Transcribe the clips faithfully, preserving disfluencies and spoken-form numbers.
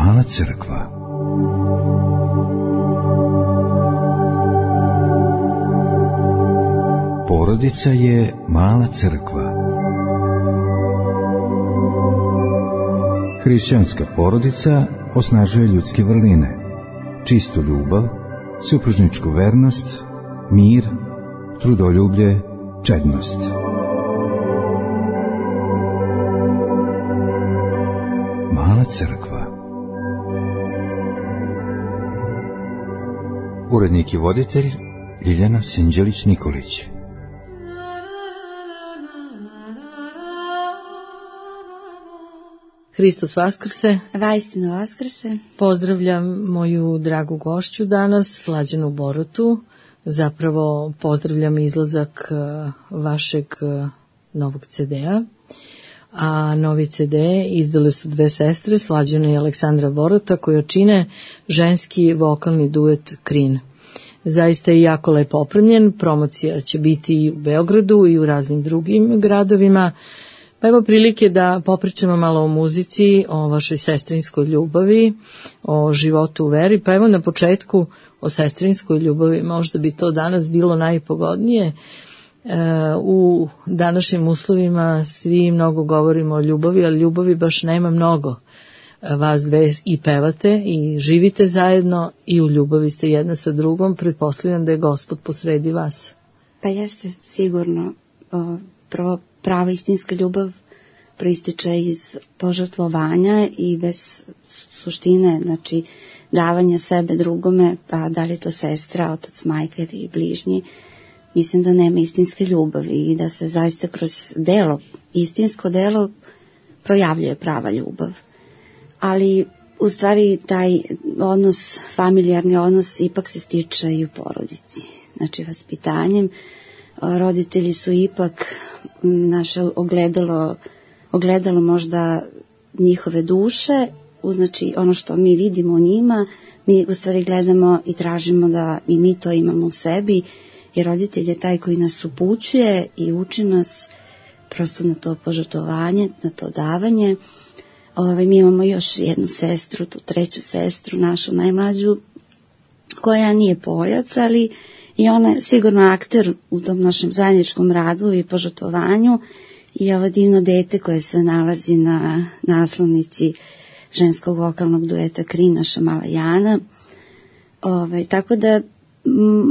Mala crkva. Porodica je mala crkva. Hrišćanska porodica osnažuje ljudske vrline, čistu ljubav, supružničku vernost, mir, trudoljublje, čednost. Mala crkva. Urednik i voditelj Ljiljana Sinđelić-Nikolić. Hristos vaskrse. Vaistinu vaskrse. Pozdravljam moju dragu gošću danas, Slađanu Borotu. Zapravo pozdravljam izlazak vašeg novog ce de-a. A novi ce de izdale su dve sestre, Slađana i Aleksandra Borota, koje čine ženski vokalni duet Krin. Zaista je jako lepo opremljen, promocija će biti i u Beogradu i u raznim drugim gradovima. Pa evo prilike da popričamo malo o muzici, o vašoj sestrinskoj ljubavi, o životu u veri. Pa evo na početku o sestrinskoj ljubavi, možda bi to danas bilo najpogodnije. U današnjim uslovima svi mnogo govorimo o ljubavi, ali ljubavi baš nema mnogo. Vas dve i pevate i živite zajedno i u ljubavi ste jedna sa drugom. Pretpostavljam da je Gospod posredi vas. Pa jeste sigurno. Prvo, prava istinska ljubav proističe iz požrtvovanja i bez suštine, znači davanja sebe drugome, pa da li je to sestra, otac, majka ili bližnji, mislim da nema istinske ljubavi i da se zaista kroz delo, istinsko delo, projavljuje prava ljubav. Ali u stvari taj odnos, familijarni odnos, ipak se stiče i u porodici. Znači vaspitanjem, roditelji su ipak naše ogledalo, ogledalo možda njihove duše, znači ono što mi vidimo u njima, mi u stvari gledamo i tražimo da i mi to imamo u sebi, jer roditelj je taj koji nas upućuje i uči nas prosto na to požrtvovanje, na to davanje. Ove, mi imamo još jednu sestru, tu treću sestru, našu najmlađu, koja nije pojac, ali i ona je sigurno akter u tom našem zajedničkom radu i požrtvovanju i ovo divno dete koje se nalazi na naslovnici ženskog vokalnog dueta Krin, naša mala Jana. Ove, tako da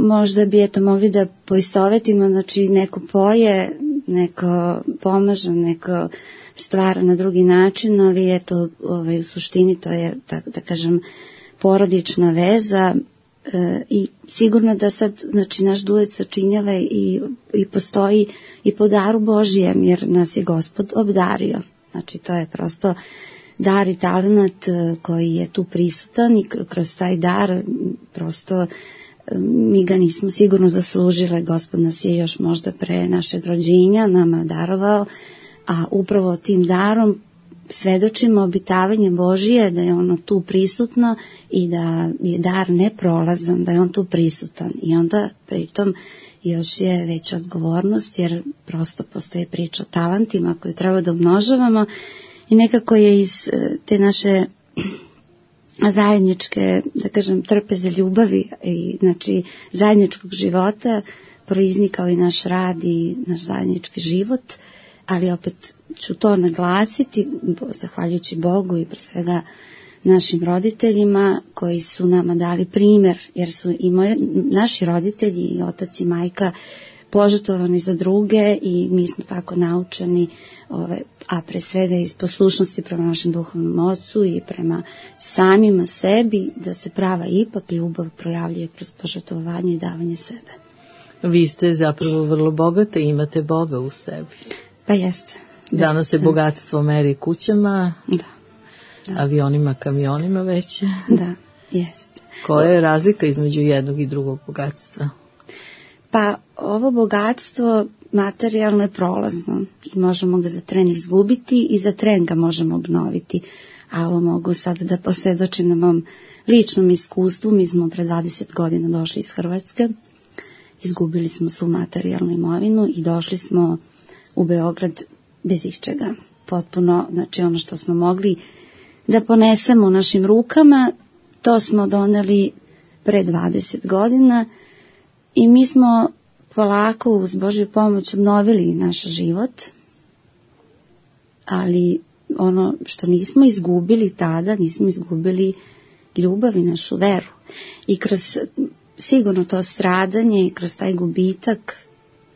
možda bi eto mogli da poistovetimo, znači neko poje, neko pomaže, neko stvara na drugi način, ali eto ovaj, u suštini to je, tako da kažem, porodična veza e, i sigurno da sad, znači, naš duet sačinjava i, i postoji i po daru Božijem, jer nas je Gospod obdario. Znači to je prosto dar i talenat koji je tu prisutan i kroz taj dar prosto mi ga nismo sigurno zaslužile. Gospod nas je još možda pre našeg rođenja nama darovao, a upravo tim darom svedočimo obitavanje Božije, da je ono tu prisutno i da je dar neprolazan, da je on tu prisutan. I onda pritom još je veća odgovornost, jer prosto postoji priča o talentima koju treba da umnožavamo i nekako je iz te naše zajedničke, da kažem, trpeze ljubavi i znači zajedničkog života proiznikao i naš rad i naš zajednički život, ali opet ću to naglasiti, zahvaljujući Bogu i pre svega našim roditeljima koji su nama dali primjer, jer su i moji, naši roditelji i otac i majka požrtvovani za druge i mi smo tako naučeni, ove, a pre svega iz poslušnosti prema našem duhovnom ocu i prema samima sebi, da se prava ipak ljubav projavljuje kroz požrtvovanje i davanje sebe. Vi ste zapravo vrlo bogate i imate Boga u sebi. Pa jeste. Danas se bogatstvo meri kućama, da, da. avionima, kamionima već. Da, jeste. Koja je razlika između jednog i drugog bogatstva? Pa ovo bogatstvo materijalno je prolazno i možemo ga za tren izgubiti i za tren ga možemo obnoviti. A ovo mogu sad da posvjedočim na mom ličnom iskustvu. Mi smo pre dvadeset godina došli iz Hrvatske, izgubili smo svu materijalnu imovinu i došli smo u Beograd bez iščega. Potpuno, znači ono što smo mogli da ponesemo u našim rukama. To smo doneli pre dvadeset godina i mi smo polako uz Božju pomoć obnovili naš život, ali ono što nismo izgubili tada, nismo izgubili ljubav i našu veru. I kroz sigurno to stradanje i kroz taj gubitak,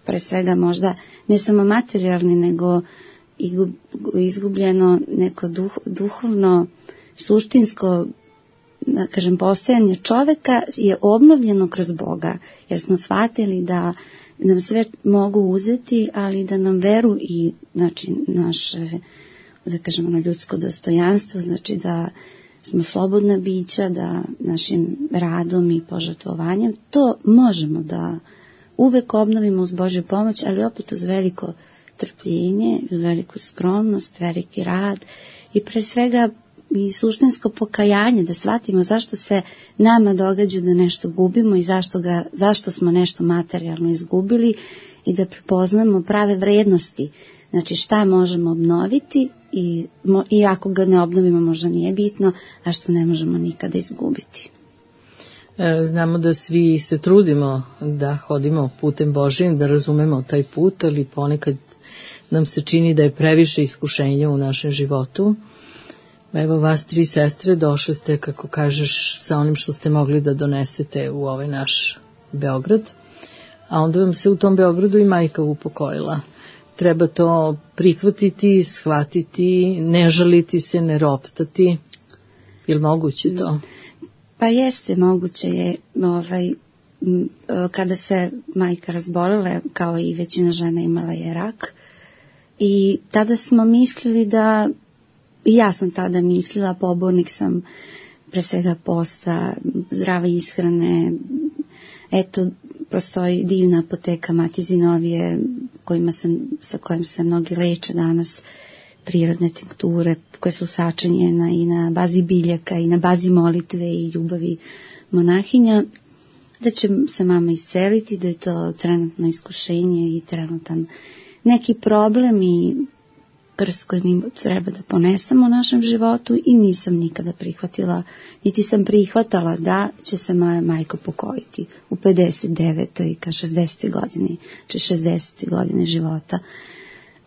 pre svega možda ne samo materijalni, nego i izgubljeno neko duh, duhovno, suštinsko, da kažem, postojanje čoveka je obnovljeno kroz Boga, jer smo shvatili da nam sve mogu uzeti, ali da nam veru i, znači, naše, da kažemo, na ljudsko dostojanstvo, znači da smo slobodna bića, da našim radom i požrtvovanjem to možemo da uvek obnovimo uz Božju pomoć, ali opet uz veliko trpljenje, uz veliku skromnost, veliki rad i pre svega i suštinsko pokajanje, da shvatimo zašto se nama događa da nešto gubimo i zašto, ga, zašto smo nešto materijalno izgubili i da prepoznamo prave vrednosti. Znači šta možemo obnoviti i, i ako ga ne obnovimo možda nije bitno, a što ne možemo nikada izgubiti. Znamo da svi se trudimo da hodimo putem Božijim, da razumemo taj put, ali ponekad nam se čini da je previše iskušenja u našem životu. Evo vas tri sestre došle ste, kako kažeš, sa onim što ste mogli da donesete u ovaj naš Beograd, a onda vam se u tom Beogradu i majka upokojila. Treba to prihvatiti, shvatiti, ne žaliti se, ne roptati. Je li moguće to? Pa jeste, moguće je. Ovaj, kada se majka razbolela, kao i većina žena, imala je rak. I tada smo mislili da, i ja sam tada mislila, pobornik sam pre svega posta, zdrave ishrane, eto, prostoji divna apoteka Mati Zinovije, kojima sam, sa kojim se mnogi leče danas, prirodne tinkture koje su sačinjene i na bazi biljaka i na bazi molitve i ljubavi monahinja, da će se mama isceliti, da je to trenutno iskušenje i trenutan neki problem i krst koji mi treba da ponesemo u našem životu i nisam nikada prihvatila, niti sam prihvatala da će se moja majka pokojiti u pedeset devetoj ka šezdesetoj godini, či šezdesetoj godine života.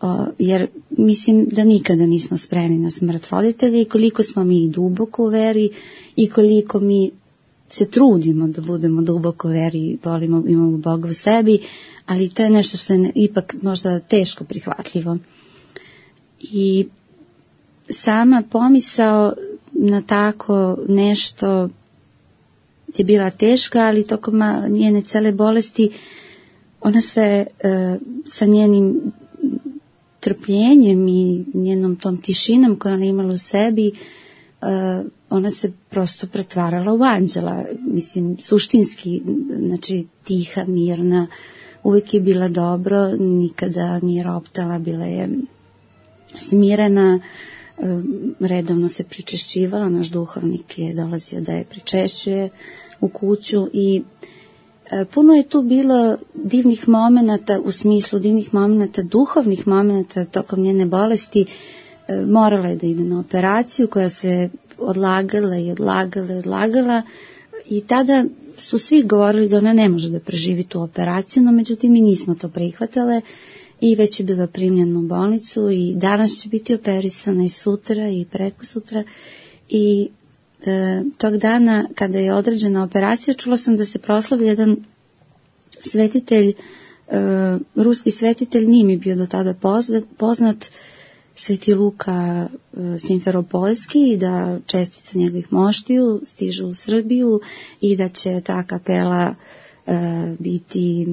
O, jer mislim da nikada nismo spremni na smrt roditelja i koliko smo mi duboko u veri i koliko mi se trudimo da budemo duboko u veri i volimo, imamo Boga u sebi, ali to je nešto što je ipak možda teško prihvatljivo. I sama pomisao na tako nešto je bila teška, ali tokom njene cele bolesti ona se e, sa njenim trpljenjem i njenom tom tišinom koju ona imala u sebi, uh, ona se prosto pretvarala u anđela, mislim, suštinski, znači tiha, mirna, uvijek je bila dobro, nikada nije roptala, bila je smirena, uh, redovno se pričešćivala, naš duhovnik je dolazio da je pričešćuje u kuću i puno je tu bilo divnih momenata, u smislu divnih momenata, duhovnih momenata tokom njene bolesti. Morala je da ide na operaciju koja se odlagala i odlagala i odlagala i tada su svi govorili da ona ne može da preživi tu operaciju, no međutim mi nismo to prihvatale i već je bila primljena u bolnicu i danas će biti operisana i sutra i preko sutra i E, tog dana kada je određena operacija čula sam da se proslavio jedan svetitelj, e, ruski svetitelj, nije mi bio do tada poznat, poznat Sveti Luka e, Simferopolski i da čestice njegovih moštiju stižu u Srbiju i da će ta kapela e, biti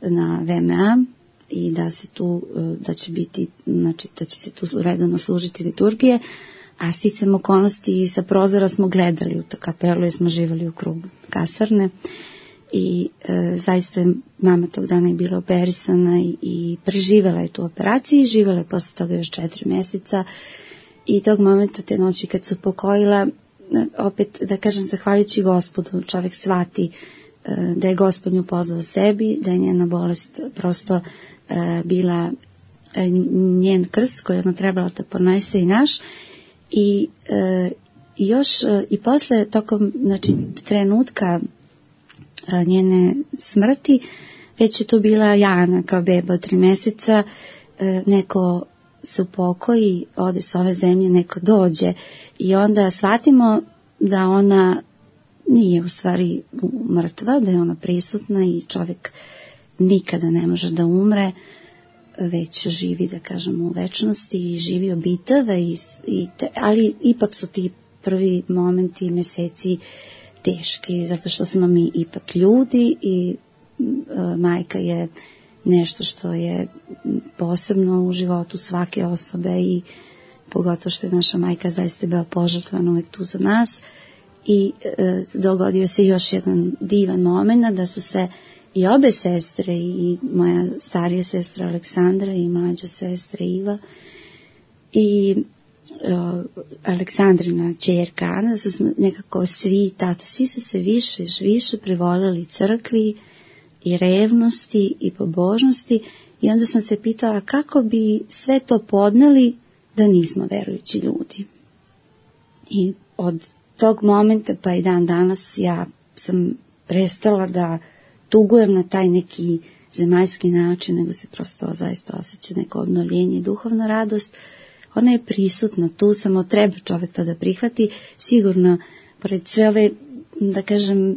na V M A i da se tu, e, da će biti, znači da će se tu redovno služiti liturgije. A sticam okolnosti i sa prozora smo gledali u tu kapelu jer smo živjeli u krugu kasarne i e, zaista je mama tog dana je bila operisana i, i preživjela je tu operaciju i živjela je posle toga još četiri mjeseca i tog momenta te noći kad su pokojila, opet da kažem zahvaljujući Gospodu, čovjek shvati e, da je Gospod nju pozvao sebi, da je njena bolest prosto e, bila e, njen krst koji je ona trebala da ponese i naš. I e, još e, i posle tokom znači, trenutka e, njene smrti, već je tu bila Jana kao beba od tri meseca, e, neko se upokoji, ode s ove zemlje, neko dođe i onda shvatimo da ona nije u stvari mrtva, da je ona prisutna i čovjek nikada ne može da umre, već živi, da kažemo, u večnosti i živi obitave, i, i te, ali ipak su ti prvi momenti, meseci teški, zato što smo mi ipak ljudi i e, majka je nešto što je posebno u životu svake osobe i pogotovo što je naša majka zaista bila požrtvana uvek tu za nas. I e, dogodio se još jedan divan moment da su se i obe sestre, i moja starija sestra Aleksandra i mlađa sestra Iva i e, Aleksandrina ćerka Ana, da su nekako svi tata, svi su se više više privolili crkvi i revnosti i pobožnosti, i onda sam se pitala kako bi sve to podneli da nismo verujući ljudi. I od tog momenta pa i dan danas ja sam prestala da tugujem na taj neki zemaljski način, nego se prosto zaista osjeća neko obnovljenje i duhovna radost. Ona je prisutna tu, samo treba čovjek to da prihvati. Sigurno, pored sve ove, da kažem,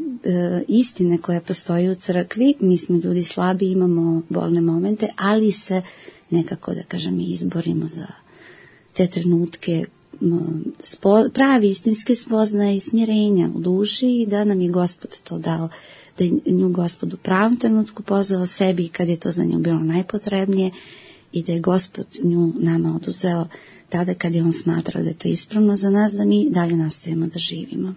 istine koje postoji u crkvi, mi smo ljudi slabi, imamo bolne momente, ali se nekako, da kažem, izborimo za te trenutke Spo, pravi istinske spoznaje i smirenja u duši, i da nam je Gospod to dao, da je nju Gospod u pravom trenutku pozvao sebi kad je to za nju bilo najpotrebnije, i da je Gospod nju nama oduzeo tada kad je on smatrao da je to ispravno za nas, da mi dalje nastavimo da živimo.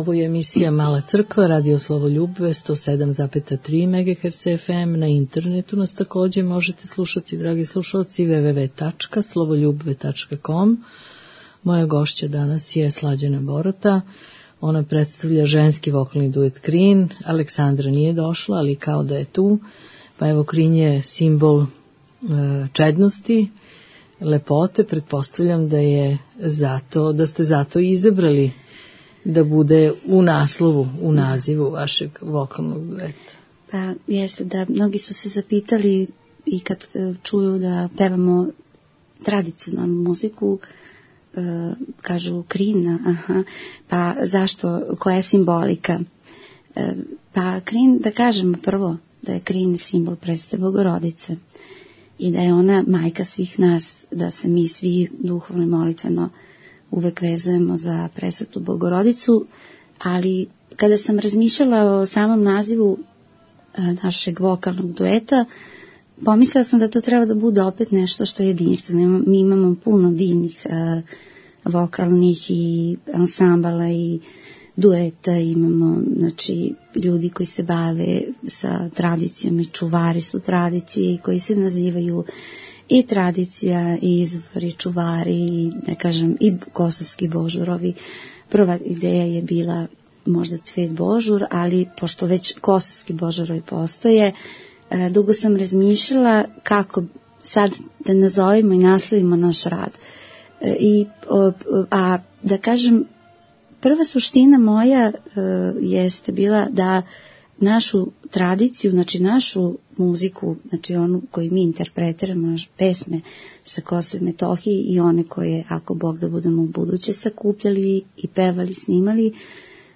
Ovo je emisija Mala crkva, radio Slovoljub, sto sedam zarez tri megaherca ef em. Na internetu nas također možete slušati, dragi slušalci, w w w tačka slovoljub tačka com. Moja gošća danas je Slađana Borota. Ona predstavlja ženski vokalni duet Krin. Aleksandra nije došla, ali kao da je tu. Pa evo, Krin je simbol e, čednosti, lepote. Pretpostavljam da je zato, da ste zato izabrali da bude u naslovu, u nazivu vašeg vokalnog dueta. Pa jeste da mnogi su se zapitali i kad čuju da pevamo tradicionalnu muziku, e, kažu Krina, aha, pa zašto, koja je simbolika? E, pa Krin, da kažemo prvo da je Krin simbol predstave Bogorodice i da je ona majka svih nas, da se mi svi duhovno i molitveno uvek vezujemo za presvetu Bogorodicu, ali kada sam razmišljala o samom nazivu e, našeg vokalnog dueta, pomislila sam da to treba da bude opet nešto što je jedinstveno. Mi imamo puno divnih e, vokalnih i ansambala i dueta, imamo znači ljudi koji se bave sa tradicijom i čuvari su tradicije koji se nazivaju i tradicija i izvori čuvari i ne kažem i kosovski božurovi. Prva ideja je bila možda Cvet Božur, ali pošto već kosovski božurovi postoje, dugo sam razmišljala kako sad da nazovimo i naslovimo naš rad. I, a da kažem, prva suština moja jeste bila da našu tradiciju, znači našu muziku, znači onu koju mi interpretiramo, naše pesme sa Kosova i Metohije i one koje, ako Bog da budemo u buduće sakupljali i pevali, snimali,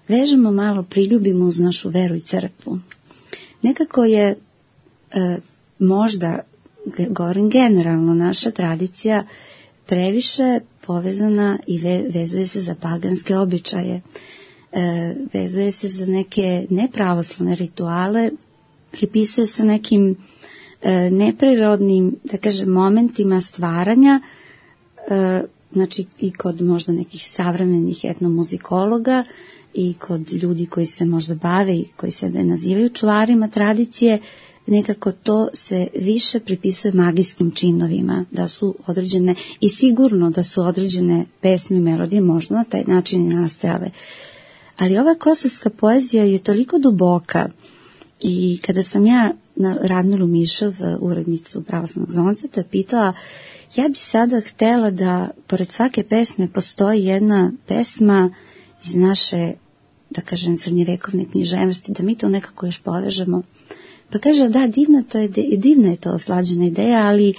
vežemo malo, priljubimo uz našu veru i crkvu. Nekako je e, možda, govorim generalno, naša tradicija previše povezana i ve, vezuje se za paganske običaje. E, vezuje se za neke nepravoslavne rituale, pripisuje se nekim e, neprirodnim, da kažem, momentima stvaranja, e, znači i kod možda nekih savremenih etnomuzikologa i kod ljudi koji se možda bave i koji sebe nazivaju čuvarima tradicije, nekako to se više pripisuje magijskim činovima, da su određene, i sigurno da su određene pesme i melodije možda na taj način i nastajale. Ali ova kosovska poezija je toliko duboka i kada sam ja na Radmilu Mišov, urednicu Pravoslavnog zonceta, pitala, ja bi sada htela da pored svake pesme postoji jedna pesma iz naše, da kažem, srednjevekovne književnosti, da mi to nekako još povežemo. Pa kaže, da, divna, to je, divna je to Slađena ideja, ali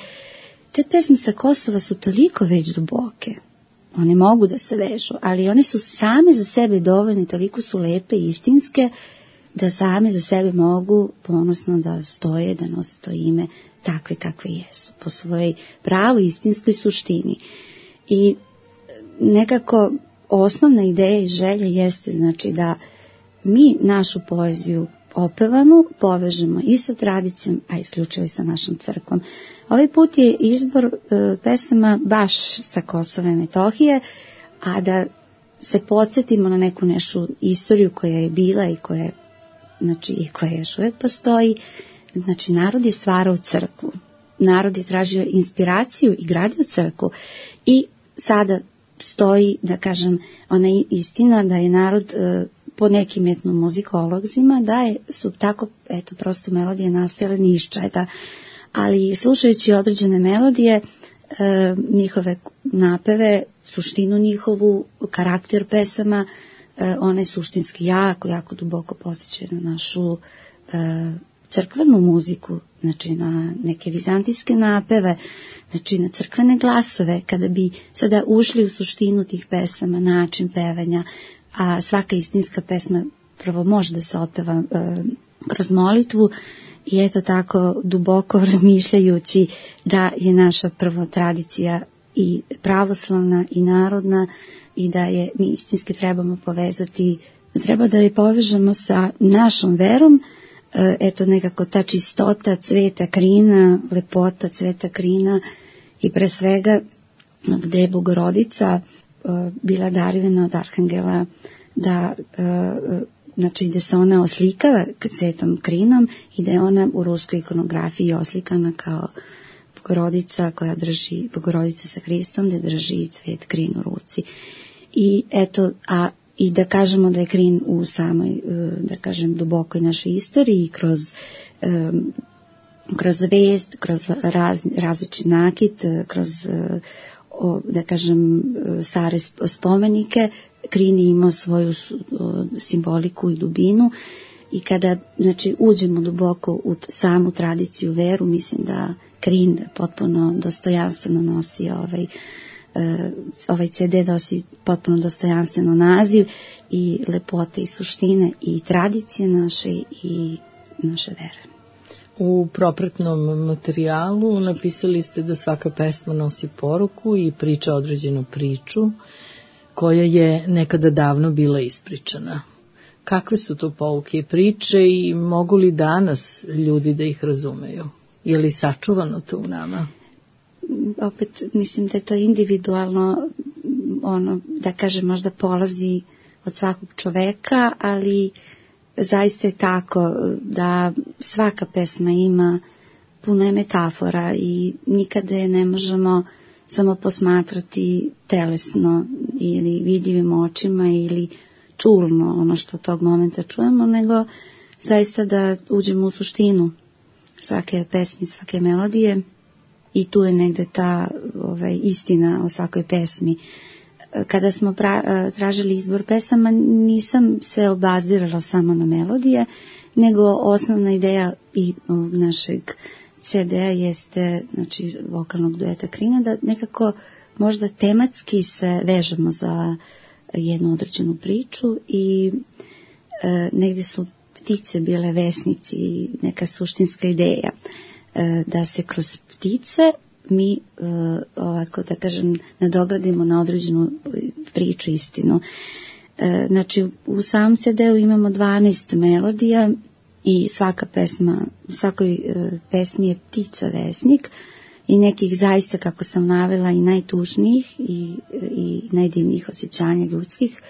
te pesme sa Kosova su toliko već duboke. One mogu da se vežu, ali one su same za sebe dovoljne, toliko su lepe i istinske, da same za sebe mogu ponosno da stoje, da nose to ime takve kakve jesu, po svojoj pravoj istinskoj suštini. I nekako osnovna ideja i želja jeste, znači, da mi našu poeziju opevanu povežemo i sa tradicijom, a isključivo i sa našom crkvom. Ovaj put je izbor e, pesama baš sa Kosova i Metohije, a da se podsjetimo na neku našu istoriju koja je bila i koja, znači, i koja još uvijek postoji. Znači, narod je stvarao crkvu. Narod je tražio inspiraciju i gradio crkvu. I sada stoji, da kažem, ona istina da je narod e, po nekim etnomuzikolozima, da je, su tako, eto, prosto melodije nastajale ni iz čega. Ali slušajući određene melodije, e, njihove napeve, suštinu njihovu, karakter pesama, e, one suštinski jako, jako duboko podsjećaju na našu e, crkvenu muziku, znači na neke vizantijske napeve, znači na crkvene glasove. Kada bi sada ušli u suštinu tih pesama, način pevanja, a svaka istinska pesma prvo može da se otpeva e, kroz molitvu, i eto tako duboko razmišljajući da je naša prva tradicija i pravoslavna i narodna i da je mi istinski trebamo povezati, treba da je povežemo sa našom verom, e, eto nekako ta čistota cveta Krina, lepota cveta Krina i pre svega gde je Bogorodica e, bila darivena od arhangela da uh, znači da se ona oslikava svetom krinom i da je ona u ruskoj ikonografiji oslikana kao Bogorodica koja drži, Bogorodica sa Hristom, da drži cvet krin u ruci. I eto, a i da kažemo da je krin u samoj, da kažem, dubokoj našoj istoriji, kroz um, kroz vest, kroz raz, različit nakit, kroz, o, da kažem, stare spomenike, krin je imao svoju simboliku i dubinu i kada, znači, uđemo duboko u samu tradiciju, veru, mislim da krin potpuno dostojanstveno nosi ovaj, ovaj ce de nosi potpuno dostojanstveno naziv i lepote i suštine i tradicije naše i naše vere. U propratnom materijalu napisali ste da svaka pesma nosi poruku i priča određenu priču koja je nekada davno bila ispričana. Kakve su to pouke i priče i mogu li danas ljudi da ih razumeju? Je li sačuvano to u nama? Opet mislim da je to individualno, ono, da kažem, možda polazi od svakog čoveka, ali zaista je tako da svaka pesma ima puno je metafora i nikada je ne možemo samo posmatrati telesno ili vidljivim očima ili čulno ono što tog momenta čujemo, nego zaista da uđemo u suštinu svake pesmi, svake melodije i tu je negde ta ovaj, istina o svakoj pesmi. Kada smo pra, tražili izbor pesama, nisam se obazirala samo na melodije, nego osnovna ideja i ovog našeg ce de-a jeste, znači, vokalnog dueta Krina, da nekako možda tematski se vežemo za jednu određenu priču i e, negdje su ptice bile vesnici, neka suštinska ideja, e, da se kroz ptice mi, uh, ovako da kažem, nadogradimo na određenu priču, istinu. Uh, znači, u samom ce de-u imamo dvanaest melodija i svaka pesma, u svakoj uh, pesmi je ptica vesnik i nekih zaista, kako sam navela, i najtužnijih i, i najdivnijih osjećanja ljudskih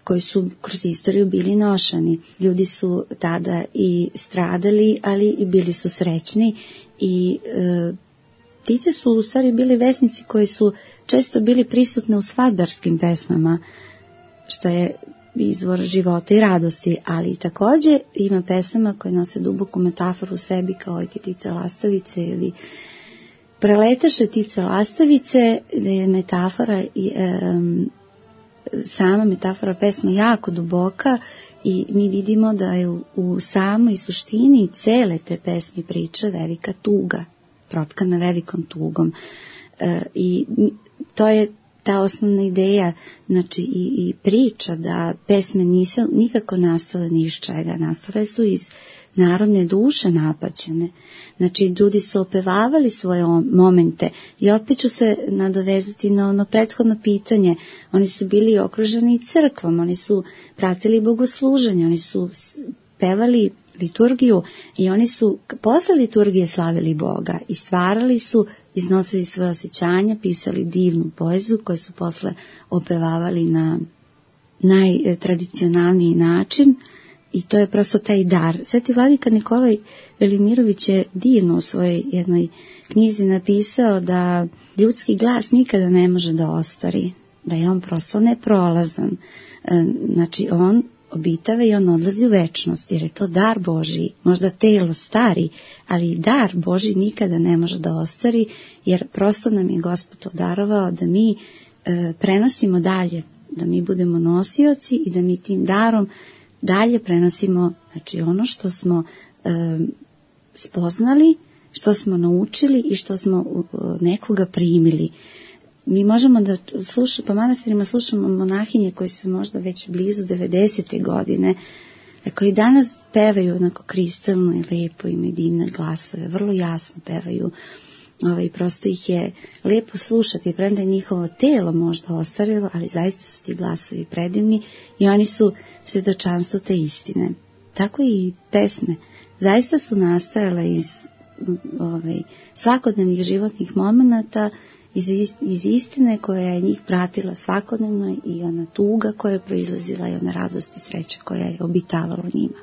koji su kroz istoriju bili nošani. Ljudi su tada i stradali, ali i bili su srećni i uh, ptice su u stvari bili vesnici koji su često bili prisutne u svadbarskim pesmama, što je izvor života i radosti, ali također ima pesama koje nose duboku metaforu u sebi, kao i Tice lastavice ili Preletaše Tice lastavice, je metafora i e, sama metafora pesma jako duboka i mi vidimo da je u, u samoj suštini cele te pesmi priče velika tuga, protkana velikom tugom. E, i to je ta osnovna ideja, znači i, i priča da pesme nisu nikako nastale ni iz čega, nastale su iz narodne duše napaćene. Znači ljudi su opevavali svoje momente i opet ću se nadovezati na ono prethodno pitanje. Oni su bili okruženi crkvom, oni su pratili bogosluženje, oni su pevali liturgiju i oni su posle liturgije slavili Boga i stvarali su, iznosili svoje osjećanja, pisali divnu poeziju koju su posle opevavali na najtradicionalniji način i to je prosto taj dar. Sveti vladika Nikolaj Velimirović je divno u svojoj jednoj knjizi napisao da ljudski glas nikada ne može da ostari, da je on prosto neprolazan. Znači on obitava i on odlazi u večnost, jer je to dar Božji. Možda telo stari, ali dar Božji nikada ne može da ostari, jer prosto nam je Gospod darovao da mi e, prenosimo dalje, da mi budemo nosioci i da mi tim darom dalje prenosimo, znači, ono što smo e, spoznali, što smo naučili i što smo u, nekoga primili. Mi možemo da slušamo, po manastirima slušamo monahinje koji su možda već blizu devedesete godine, koji danas pevaju onako kristalno i lepo, imaju divne glasove, vrlo jasno pevaju. Ovaj, prosto ih je lepo slušati, premda je njihovo telo možda ostarilo, ali zaista su ti glasovi predivni i oni su svjedočanstvo te istine. Tako i pesme. Zaista su nastajale iz ovaj, svakodnevnih životnih momenata iz, iz istine koja je njih pratila svakodnevno i ona tuga koja je proizlazila i ona radost i sreća koja je obitavala njima.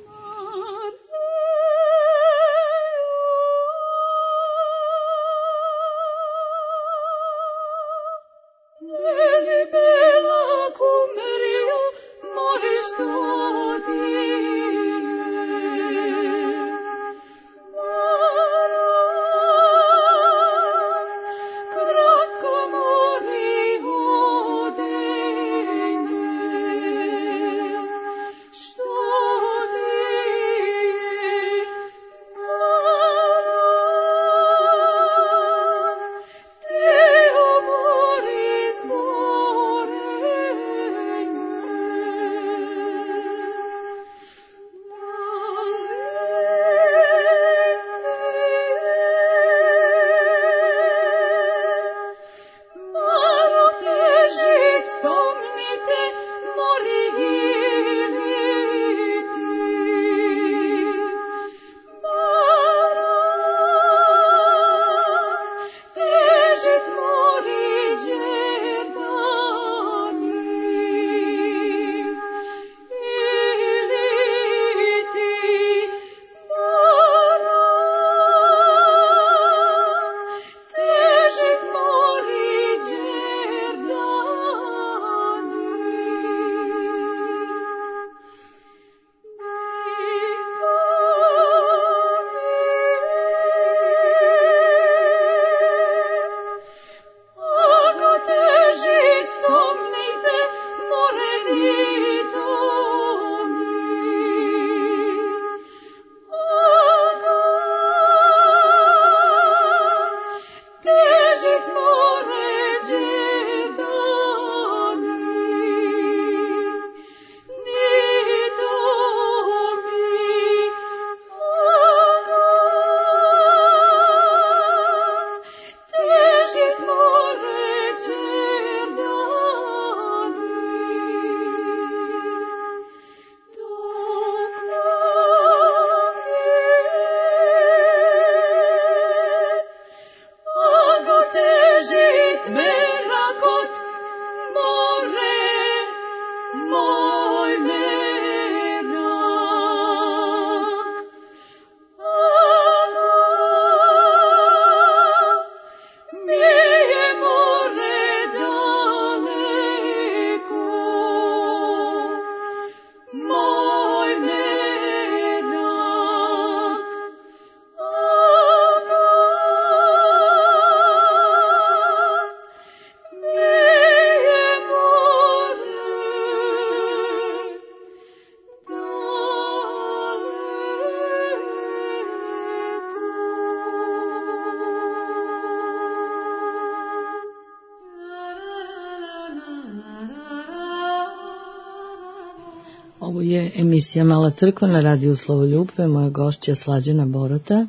Ovo je emisija Mala crkva na radiju Slovoljubve, moja gošća Slađana Borota.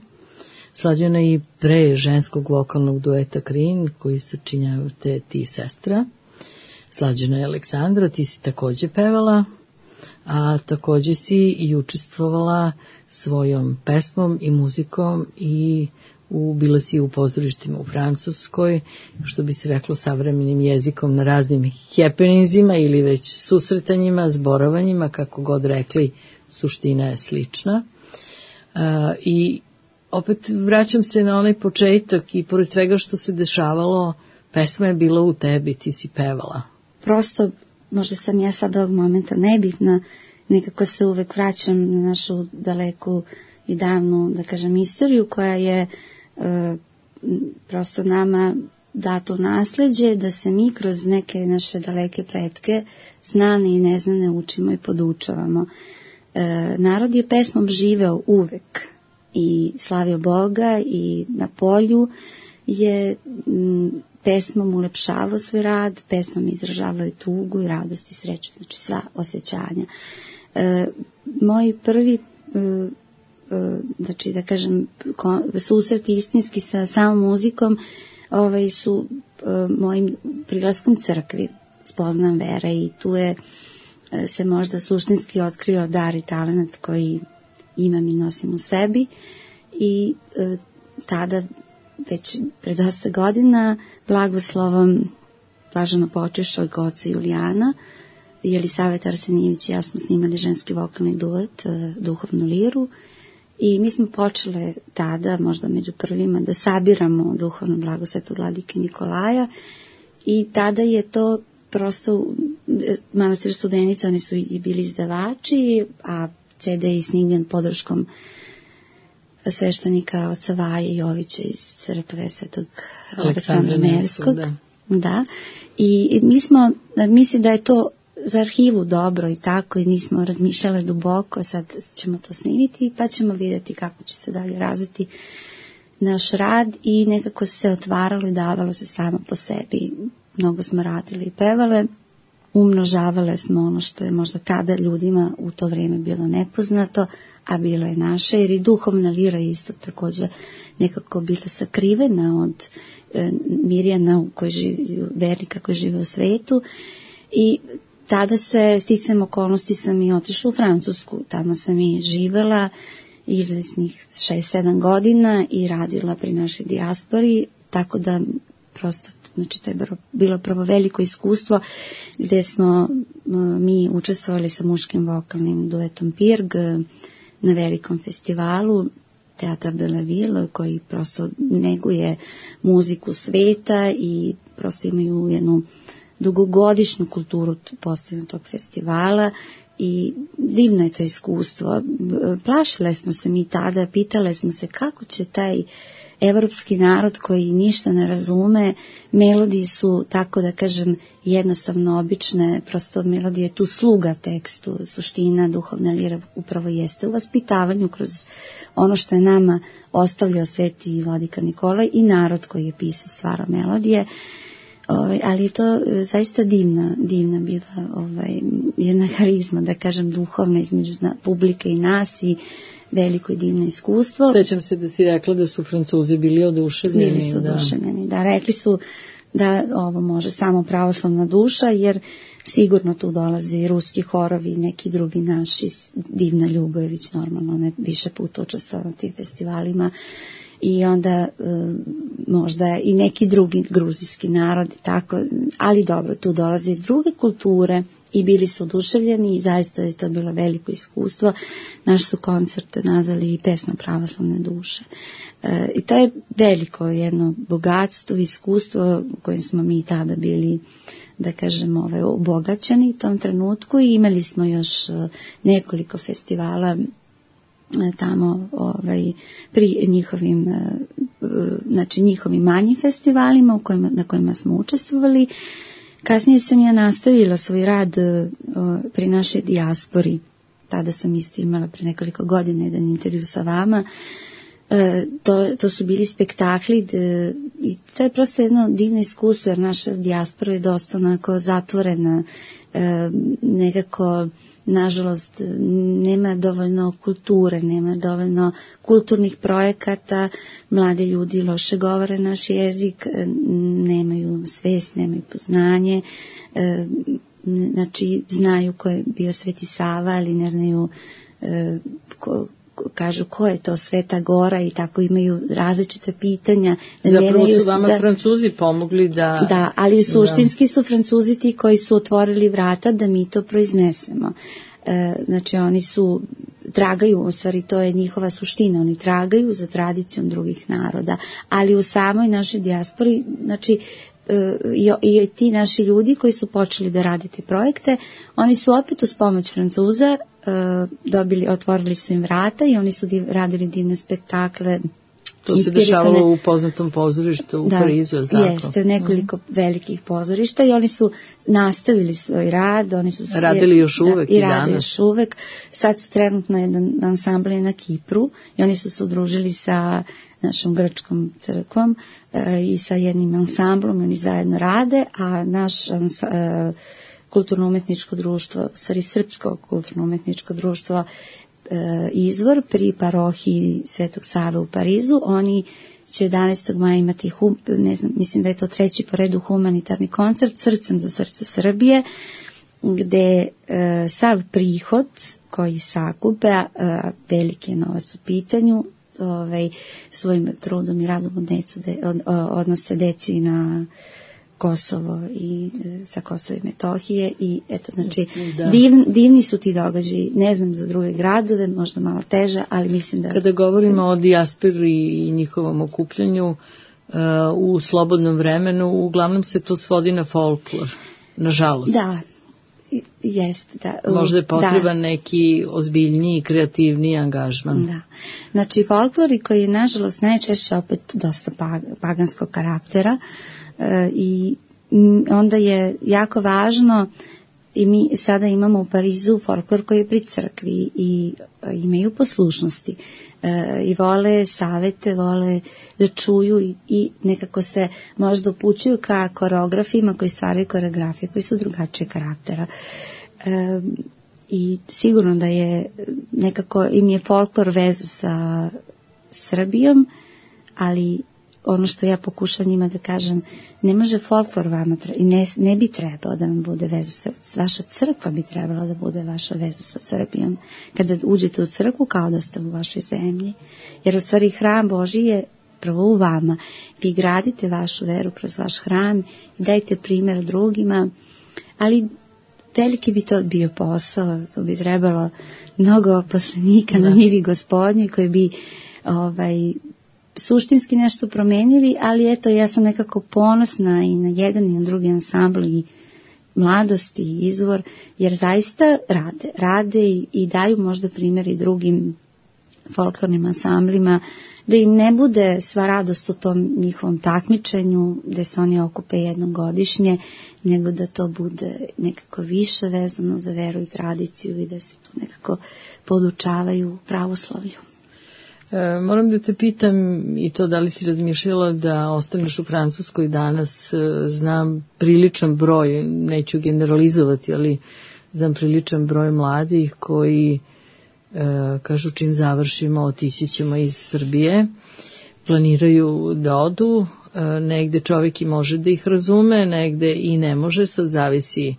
Slađana i pre ženskog vokalnog dueta Krin, koji se činjavate ti sestra. Slađana je Aleksandra, ti si takođe pevala, a takođe si i učestvovala svojom pesmom i muzikom i u, bila si u pozorištima u Francuskoj, što bi se reklo savremenim jezikom, na raznim happeningzima ili već susretanjima, zborovanjima, kako god rekli, suština je slična. Uh, I opet vraćam se na onaj početak i pored svega što se dešavalo, pesma je bila u tebi, ti si pevala. Prosto, možda sam ja sad ovog momenta nebitna, nekako se uvek vraćam na našu daleku i davnu, da kažem, istoriju koja je e, prosto nama dato nasleđe, da se mi kroz neke naše daleke pretke znane i neznane učimo i podučavamo. E, narod je pesmom živeo uvek i slavio Boga i na polju je m, pesmom ulepšavao svoj rad, pesmom izražavao i tugu i radost i sreću, znači sva osjećanja. E, moji prvi, e, e, znači da kažem, susreti istinski sa samom muzikom ovaj, su e, mojim prilaskom crkvi, spoznam vera i tu je e, se možda suštinski otkrio dar i talent koji imam i nosim u sebi i e, tada već pre dosta godina blagoslovom blaženo počešća od oca Julijana, Jelisaveta Arsenijević i ja smo snimali ženski vokalni duet, duhovnu liru, i mi smo počele tada, možda među prvima, da sabiramo duhovno blago Svetog vladike Nikolaja, i tada je to prosto manastir Studenica, oni su i bili izdavači, a ce de je snimljen podrškom sveštenika oca Vaje Jovića iz crkve Svetog Aleksandra Nevskog. Da. da. I mi smo, mislim da je to za arhivu dobro i tako, i nismo razmišljale duboko, sad ćemo to snimiti pa ćemo vidjeti kako će se dalje razviti naš rad, i nekako se otvaralo i davalo se samo po sebi. Mnogo smo radili i pevale, umnožavale smo ono što je možda tada ljudima u to vrijeme bilo nepoznato, a bilo je naše, jer i duhovna lira isto također nekako bila sakrivena od e, Mirjana u kojoj živi, vernika koji žive u svetu, i tada se sticajem okolnosti sam i otišla u Francusku, tamo sam i živela izvesnih šest sedam godina i radila pri našoj dijaspori, tako da prosto, znači to je bilo prvo veliko iskustvo gdje smo mi učestvovali sa muškim vokalnim duetom Pirg na velikom festivalu Teatr de la Ville, koji prosto neguje muziku sveta i prosto imaju jednu dugogodišnju kulturu postavljanja tog festivala, i divno je to iskustvo. Plašile smo se mi tada, pitale smo se kako će taj evropski narod koji ništa ne razume, melodije su, tako da kažem, jednostavno obične, prosto melodije tu sluga tekstu, suština duhovna lira upravo jeste u vaspitavanju kroz ono što je nama ostavljao sveti vladika Nikolaj i narod koji je pisao, stvarao melodije. Ovaj, ali je to zaista divna, divna bila ovaj, jedna harizma, da kažem, duhovna između publike i nas, i veliko i divno iskustvo. Sećam se da si rekla da su Francuzi bili oduševljeni. Bili su oduševljeni, da. da. Rekli su da ovo može samo pravoslavna duša, jer sigurno tu dolaze i ruski horovi, neki drugi naši, Divna Ljubojević, normalno, ne više puta učestvovala na tim festivalima, i onda e, možda i neki drugi gruzijski narod, tako, ali dobro, tu dolaze i druge kulture i bili su oduševljeni, i zaista je to bilo veliko iskustvo. Naš su koncert nazvali i Pesma pravoslavne duše. E, I to je veliko jedno bogatstvo, iskustvo u kojem smo mi tada bili, da kažemo, ove, obogaćeni u tom trenutku, i imali smo još nekoliko festivala tamo ovaj, pri njihovim, znači njihovim manjim festivalima u kojima, na kojima smo učestvovali. Kasnije sam ja nastavila svoj rad pri našoj dijaspori. Tada sam isto imala pre nekoliko godina jedan intervju sa vama. To, to su bili spektakli de, i to je prosto jedno divno iskustvo, jer naša dijaspora je dosta onako zatvorena, nekako, nažalost, nema dovoljno kulture, nema dovoljno kulturnih projekata, mladi ljudi loše govore naš jezik, nemaju svest, nemaju poznanje, znači znaju ko je bio Sveti Sava, ali ne znaju ko, kažu ko je to Sveta Gora, i tako imaju različite pitanja. Zapravo su vama za... Francuzi pomogli da... Da, ali suštinski su Francuzi ti koji su otvorili vrata da mi to proiznesemo. E, znači oni su, tragaju, u stvari to je njihova suština, oni tragaju za tradicijom drugih naroda, ali u samoj našoj dijaspori, znači e, i, i ti naši ljudi koji su počeli da radite projekte, oni su opet uz pomoć Francuza dobili, otvorili su im vrata, i oni su div, radili divne spektakle. To se dešavalo u poznatom pozorištu u da, Parizu, je li tako? Jeste, nekoliko mm. velikih pozorišta, i oni su nastavili svoj rad. Oni su radili još uvek da, i, i danas. Rade još uvek. Sad su trenutno jedan ansambl na Kipru, i oni su se udružili sa našom grčkom crkvom e, i sa jednim ansamblom, oni zajedno rade, a naš ans, e, kulturno-umetničko društvo, stvari srpsko kulturno-umetničko društvo e, Izvor pri parohiji Svetog Save u Parizu, oni će jedanaestog maja imati, hum, ne znam, mislim da je to treći po redu humanitarni koncert Srcem za srce Srbije, gde e, sav prihod koji sakupe, a veliki je novac u pitanju, ovaj, svojim trudom i radom odnesu de, od, odnose deci na Kosovo i sa Kosova i Metohije i eto, znači div, divni su ti događaji, ne znam za druge gradove, možda malo teže, ali mislim da... Kada govorimo o dijaspori i njihovom okupljanju uh, u slobodnom vremenu, uglavnom se to svodi na folklor, nažalost. Da, jest. Da. Možda je potreban da. neki ozbiljniji, kreativniji angažman. Da. Znači, folklori koji je nažalost najčešće opet dosta paganskog karaktera, i onda je jako važno i mi sada imamo u Parizu folklor koji je pri crkvi i imaju poslušnosti i vole savete, vole da čuju i, i nekako se možda upućuju ka koreografima koji stvaraju koreografije koji su drugačije karaktera i sigurno da je nekako im je folklor veza sa Srbijom, ali ono što ja pokušam njima da kažem, ne može folklor vama i ne, ne bi trebalo da vam bude veza sa, vaša crkva bi trebala da bude vaša veza sa Srbijom. Kada uđete u crkvu kao da ste u vašoj zemlji, jer u stvari hram Božji je prvo u vama. Vi gradite vašu veru kroz vaš hram i dajte primjer drugima, ali veliki bi to bio posao, to bi trebalo mnogo poslanika na njivi Gospodnji koji bi ovaj suštinski nešto promenili, ali eto, ja sam nekako ponosna i na jedan i na drugi ansambl i mladost i izvor, jer zaista rade, rade i, i daju možda primjer i drugim folklornim ansamblima, da im ne bude sva radost u tom njihovom takmičenju, da se oni okupe jednom godišnje, nego da to bude nekako više vezano za veru i tradiciju i da se tu nekako podučavaju pravoslavlju. E, moram da te pitam i to da li si razmišljala da ostaneš u Francuskoj danas. E, znam priličan broj, neću generalizovati, ali znam priličan broj mladih koji e, kažu čim završimo otići ćemo iz Srbije, planiraju da odu, e, negde čovjek i može da ih razume, negde i ne može, sad zavisi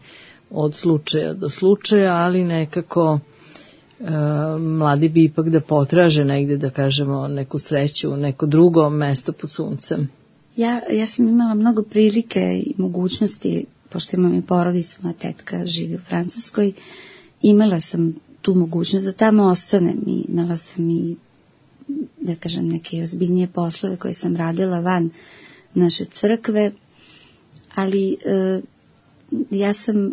od slučaja do slučaja, ali nekako mladi bi ipak da potraže negde, da kažemo, neku sreću, neko drugo mesto pod suncem. Ja, ja sam imala mnogo prilike i mogućnosti, pošto imam i porodicu, moja tetka živi u Francuskoj, imala sam tu mogućnost da tamo ostanem i imala sam i, da kažem, neke ozbiljnije poslove koje sam radila van naše crkve, ali e, ja sam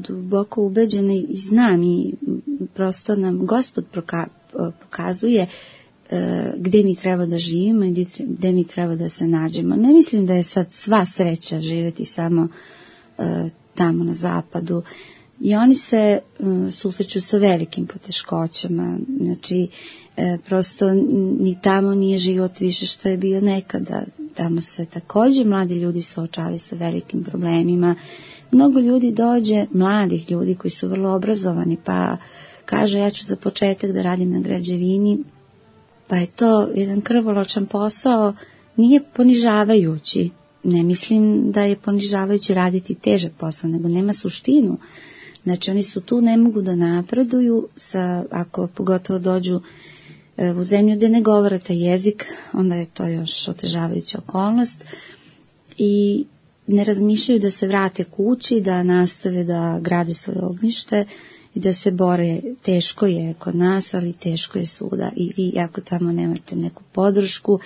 duboko ubeđena i znam i prosto nam Gospod pokazuje gde mi treba da živimo i gde mi treba da se nađemo. Ne mislim da je sad sva sreća živjeti samo tamo na zapadu. I oni se susreću sa velikim poteškoćama. Znači, prosto ni tamo nije život više što je bio nekada. Tamo se također mladi ljudi suočavaju sa velikim problemima. Mnogo ljudi dođe, mladih ljudi koji su vrlo obrazovani, pa kaže ja ću za početak da radim na građevini, pa je to jedan krvoločan posao, nije ponižavajući. Ne mislim da je ponižavajući raditi težak posao, nego nema suštinu. Znači oni su tu, ne mogu da napreduju, sa, ako pogotovo dođu u zemlju gde ne govore taj jezik, onda je to još otežavajuća okolnost i ne razmišljaju da se vrate kući, da nastave da grade svoje ognjište i da se bore. Teško je kod nas, ali teško je svuda. I vi ako tamo nemate neku podršku,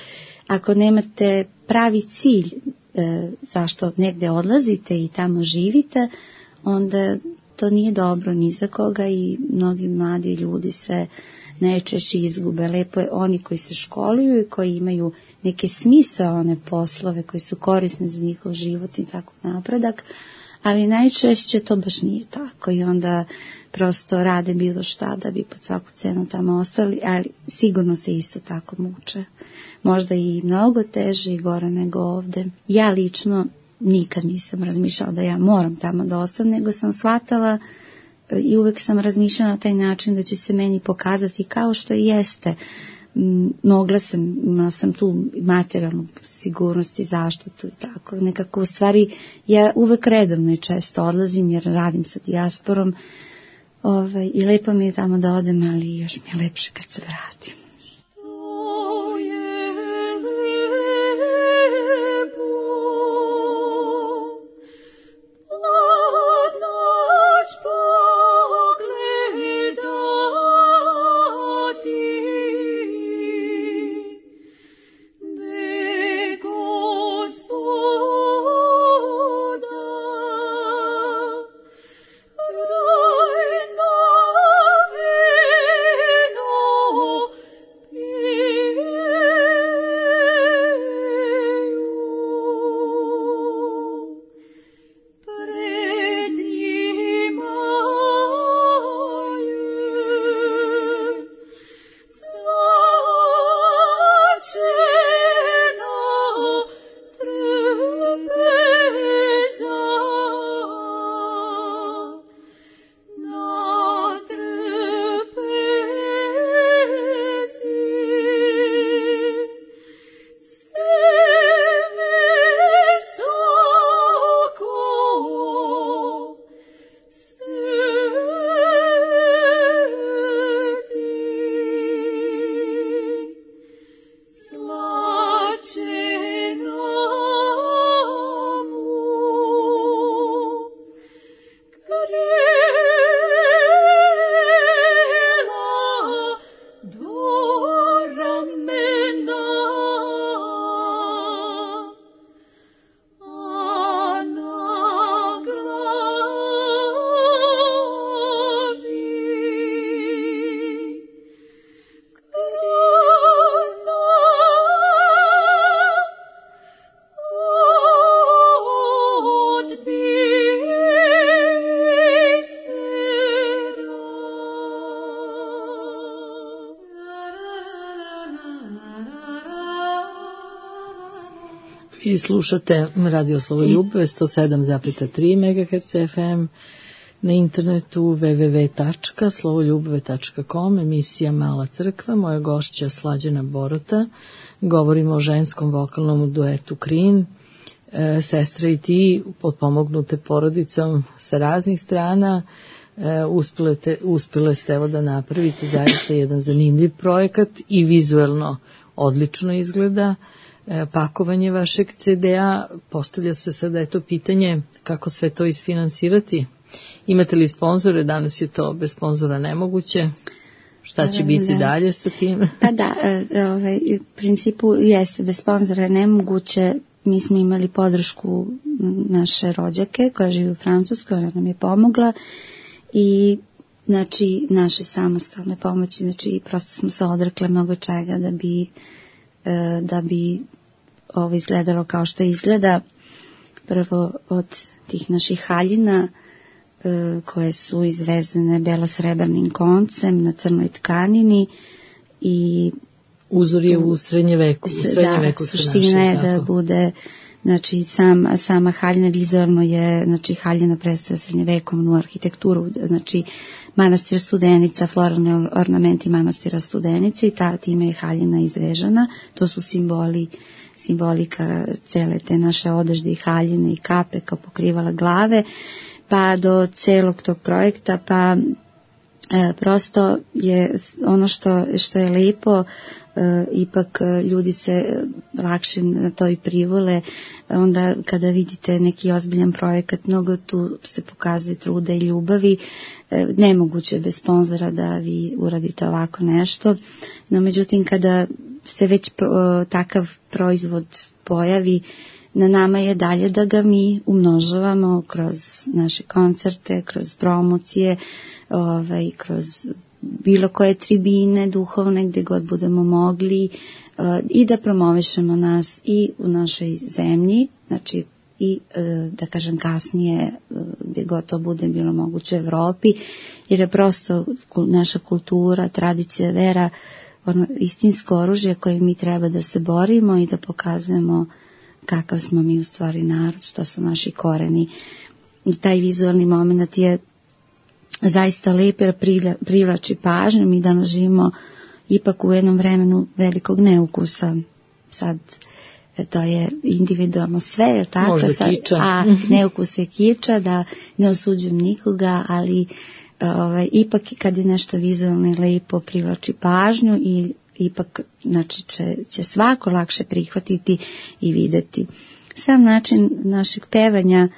ako nemate pravi cilj e, zašto negde odlazite i tamo živite, onda to nije dobro ni za koga i mnogi mladi ljudi se najčešće izgube. Lepo je oni koji se školuju i koji imaju neke smisaone poslove koji su korisni za njihov život i tako napredak, ali najčešće to baš nije tako i onda prosto rade bilo šta da bi pod svaku cenu tamo ostali, ali sigurno se isto tako muče. Možda i mnogo teže i gore nego ovde. Ja lično nikad nisam razmišljala da ja moram tamo da ostanem, nego sam shvatala i uvek sam razmišljala na taj način da će se meni pokazati kao što i jeste. Mogla sam, imala sam tu materijalnu sigurnost i zaštitu i tako. Nekako u stvari ja uvek redovno i često odlazim jer radim sa dijasporom ovaj, i lepo mi je tamo da odem, ali još mi je lepše kad se vratim. Vi slušate Radio Slavoljub sto sedam zarez tri megaherca ef em, na internetu w w w tačka slavoljubve tačka com, emisija Mala crkva, moja gošća Slađana Borota. Govorimo o ženskom vokalnom duetu Krin, e, sestra i ti, potpomognute porodicom sa raznih strana. E, uspile, te, uspile ste evo da napravite zaista jedan zanimljiv projekat i vizuelno odlično izgleda. E, pakovanje vašeg ce de a, postavlja se sada eto pitanje kako sve to isfinansirati. Imate li sponzore? Danas je to bez sponzora nemoguće. Šta će biti da. dalje sa tim? Pa da, ovaj, u principu jeste, bez sponzora je nemoguće. Mi smo imali podršku naše rođake koja živi u Francuskoj, ona nam je pomogla i znači naše samostalne pomoći, znači prosto smo se odrekle mnogo čega da bi da bi ovo izgledalo kao što izgleda. Prvo od tih naših haljina koje su izvezene belosrebrnim koncem na crnoj tkanini i uzor je u srednje veku. U srednje da, veku suština je da bude, znači sam, sama haljina vizualno je, znači haljina predstavlja srednjevekovnu arhitekturu, znači manastir Studenica, floralni ornamenti manastira Studenica i ta, time je haljina izvežana. To su simboli, simbolika cele te naše odežde i haljine i kape kao pokrivala glave, pa do celog tog projekta, pa e, prosto je ono što, što je lepo, e, ipak ljudi se lakše na to i privole, onda kada vidite neki ozbiljan projekat, mnogo tu se pokazuje truda i ljubavi, e, nemoguće bez sponzora da vi uradite ovako nešto, no međutim kada se već pro, takav proizvod pojavi, na nama je dalje da ga mi umnožavamo kroz naše koncerte, kroz promocije, ovaj, kroz bilo koje tribine duhovne gdje god budemo mogli uh, i da promovišemo nas i u našoj zemlji, znači i uh, da kažem kasnije uh, gdje god to bude bilo moguće u Evropi, jer je prosto naša kultura, tradicija, vera, ono istinsko oružje koje mi treba da se borimo i da pokazujemo kakav smo mi u stvari narod, šta su naši koreni. I taj vizualni moment je zaista lep jer privlači pažnju. Mi danas živimo ipak u jednom vremenu velikog neukusa. Sad to je individualno sve, je tako? Možda kiča. A neukus je kiča, da ne osuđujem nikoga, ali ovaj, ipak kad je nešto vizualno i lepo privlači pažnju i ipak znači, će, će svako lakše prihvatiti i videti. Sam način našeg pevanja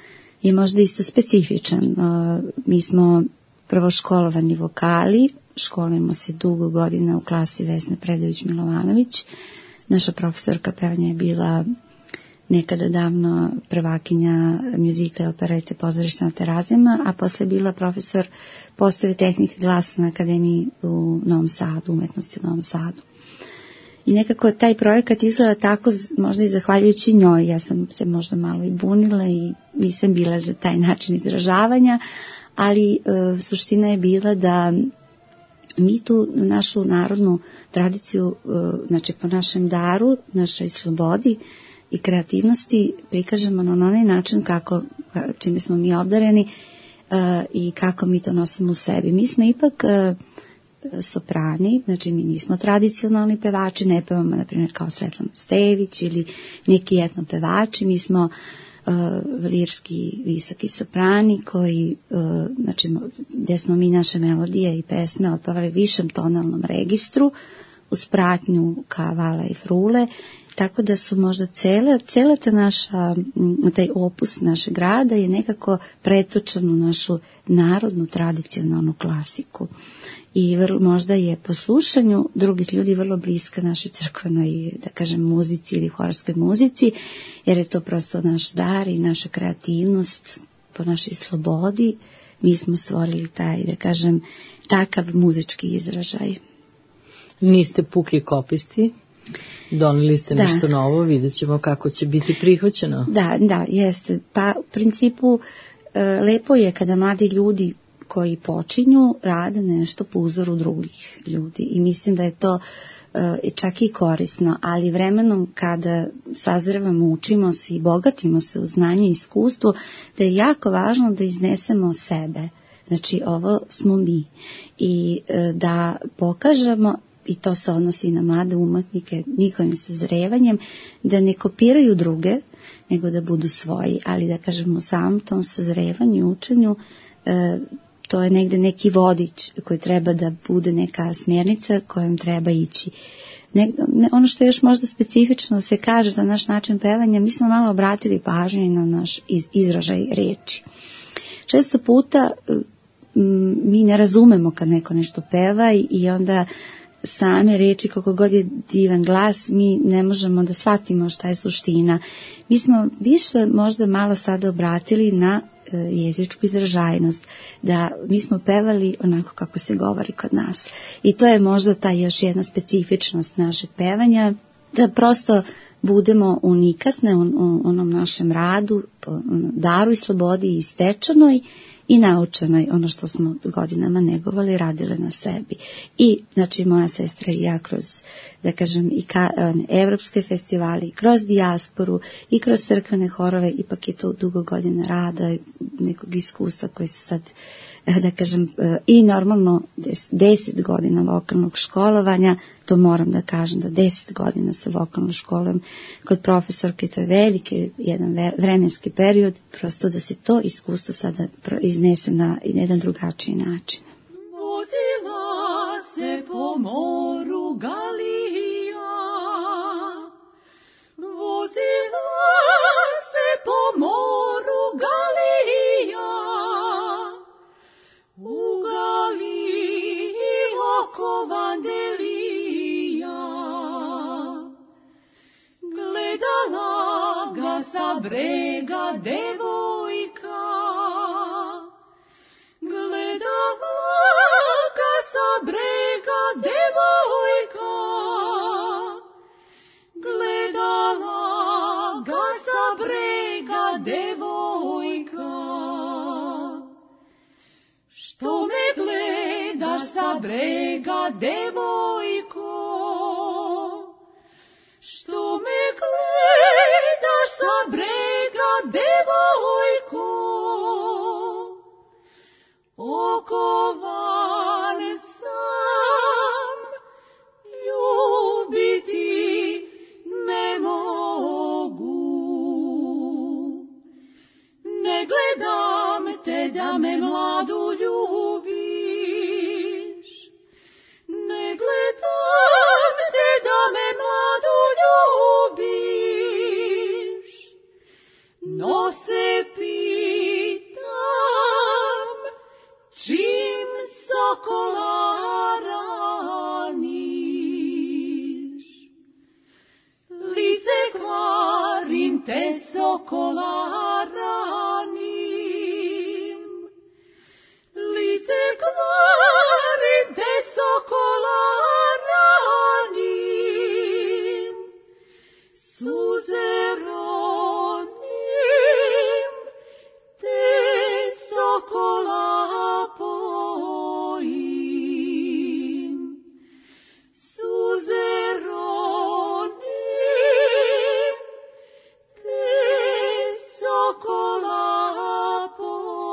je možda isto specifičan. Uh, mi smo prvo školovani vokali, školujemo se dugo godina u klasi Vesne Predović-Milovanović. Naša profesorka pevanja je bila nekada davno prvakinja muzikla i operete Pozorišta na Terazijama, a posle bila profesor postave tehnike glasa na Akademiji u Novom Sadu, umetnosti u Novom Sadu. I nekako taj projekat izgleda tako, možda i zahvaljujući njoj, ja sam se možda malo i bunila i nisam bila za taj način izražavanja, ali e, suština je bila da mi tu našu narodnu tradiciju, e, znači po našem daru, našoj slobodi i kreativnosti prikažemo na onaj način kako, čime smo mi obdareni e, i kako mi to nosimo u sebi. Mi smo ipak e, soprani, znači mi nismo tradicionalni pevači, ne pevamo na primjer kao Svetlana Stević ili neki etno pevači, mi smo uh, lirski visoki soprani koji, uh, znači gdje smo mi naše melodije i pesme otpevali višem tonalnom registru uz pratnju kavala i frule, tako da su možda cele, cela ta naša, taj opus našeg rada je nekako pretočan u našu narodnu tradicionalnu klasiku. I vrlo, možda je po slušanju drugih ljudi vrlo bliska našoj crkvenoj, da kažem, muzici ili horskoj muzici, jer je to prosto naš dar i naša kreativnost po našoj slobodi. Mi smo stvorili taj, da kažem, takav muzički izražaj. Niste puki kopisti, doneli ste da. nešto novo, vidjet ćemo kako će biti prihvaćeno. Da, da, jeste. Pa u principu lepo je kada mladi ljudi koji počinju rade nešto po uzoru drugih ljudi i mislim da je to i čak i korisno, ali vremenom kada sazrevamo, učimo se i bogatimo se u znanju i iskustvu, da je jako važno da iznesemo sebe. Znači, ovo smo mi. I da pokažemo, i to se odnosi na mlade umetnike, njihovim sazrevanjem, da ne kopiraju druge, nego da budu svoji, ali da kažemo u samom tom sazrevanju i učenju, e, to je negde neki vodič koji treba da bude neka smjernica kojom treba ići. Ne, ne, ono što je još možda specifično se kaže za naš način pevanja, mi smo malo obratili pažnju na naš iz, izražaj reči. Često puta m, mi ne razumemo kad neko nešto peva i, i onda same reči, koliko god je divan glas, mi ne možemo da shvatimo šta je suština. Mi smo više možda malo sada obratili na e, jezičku izražajnost, da mi smo pevali onako kako se govori kod nas. I to je možda ta još jedna specifičnost našeg pevanja, da prosto budemo unikatne u, u onom našem radu, daru i slobodi i stečenoj i naučenoj, ono što smo godinama negovali, radile na sebi. I, znači, moja sestra i ja kroz, da kažem, i ka, evropske festivali, kroz dijasporu i kroz crkvene horove, ipak je to dugo godina rada i nekog iskustva koji su sad, da kažem, i normalno deset godina vokalnog školovanja, to moram da kažem da deset godina sa vokalnom školom kod profesorke, to je veliki jedan vremenski period, prosto da se to iskustvo sada iznese na jedan drugačiji način. Vozila se po moru Galija, vozila se po moru Galija, u Galiji oko Vandelija, gledala ga sa brega devojka, gledala ga sa brega devojka, gledala ga sa brega devojka. Što me gledaš sa brega, devojko? Što me gledaš sa brega, devojko? Okovan sam, ljubiti ne mogu. Ne gledam te da me mladu ljubiš, ne gledam te da me mladu ljubiš, no se pitam čim sokola raniš. Lice kvarim te sokola ranim, lice kvarim te sokola ranim, suze ronim te sokola pojim, suze ronim te sokola pojim.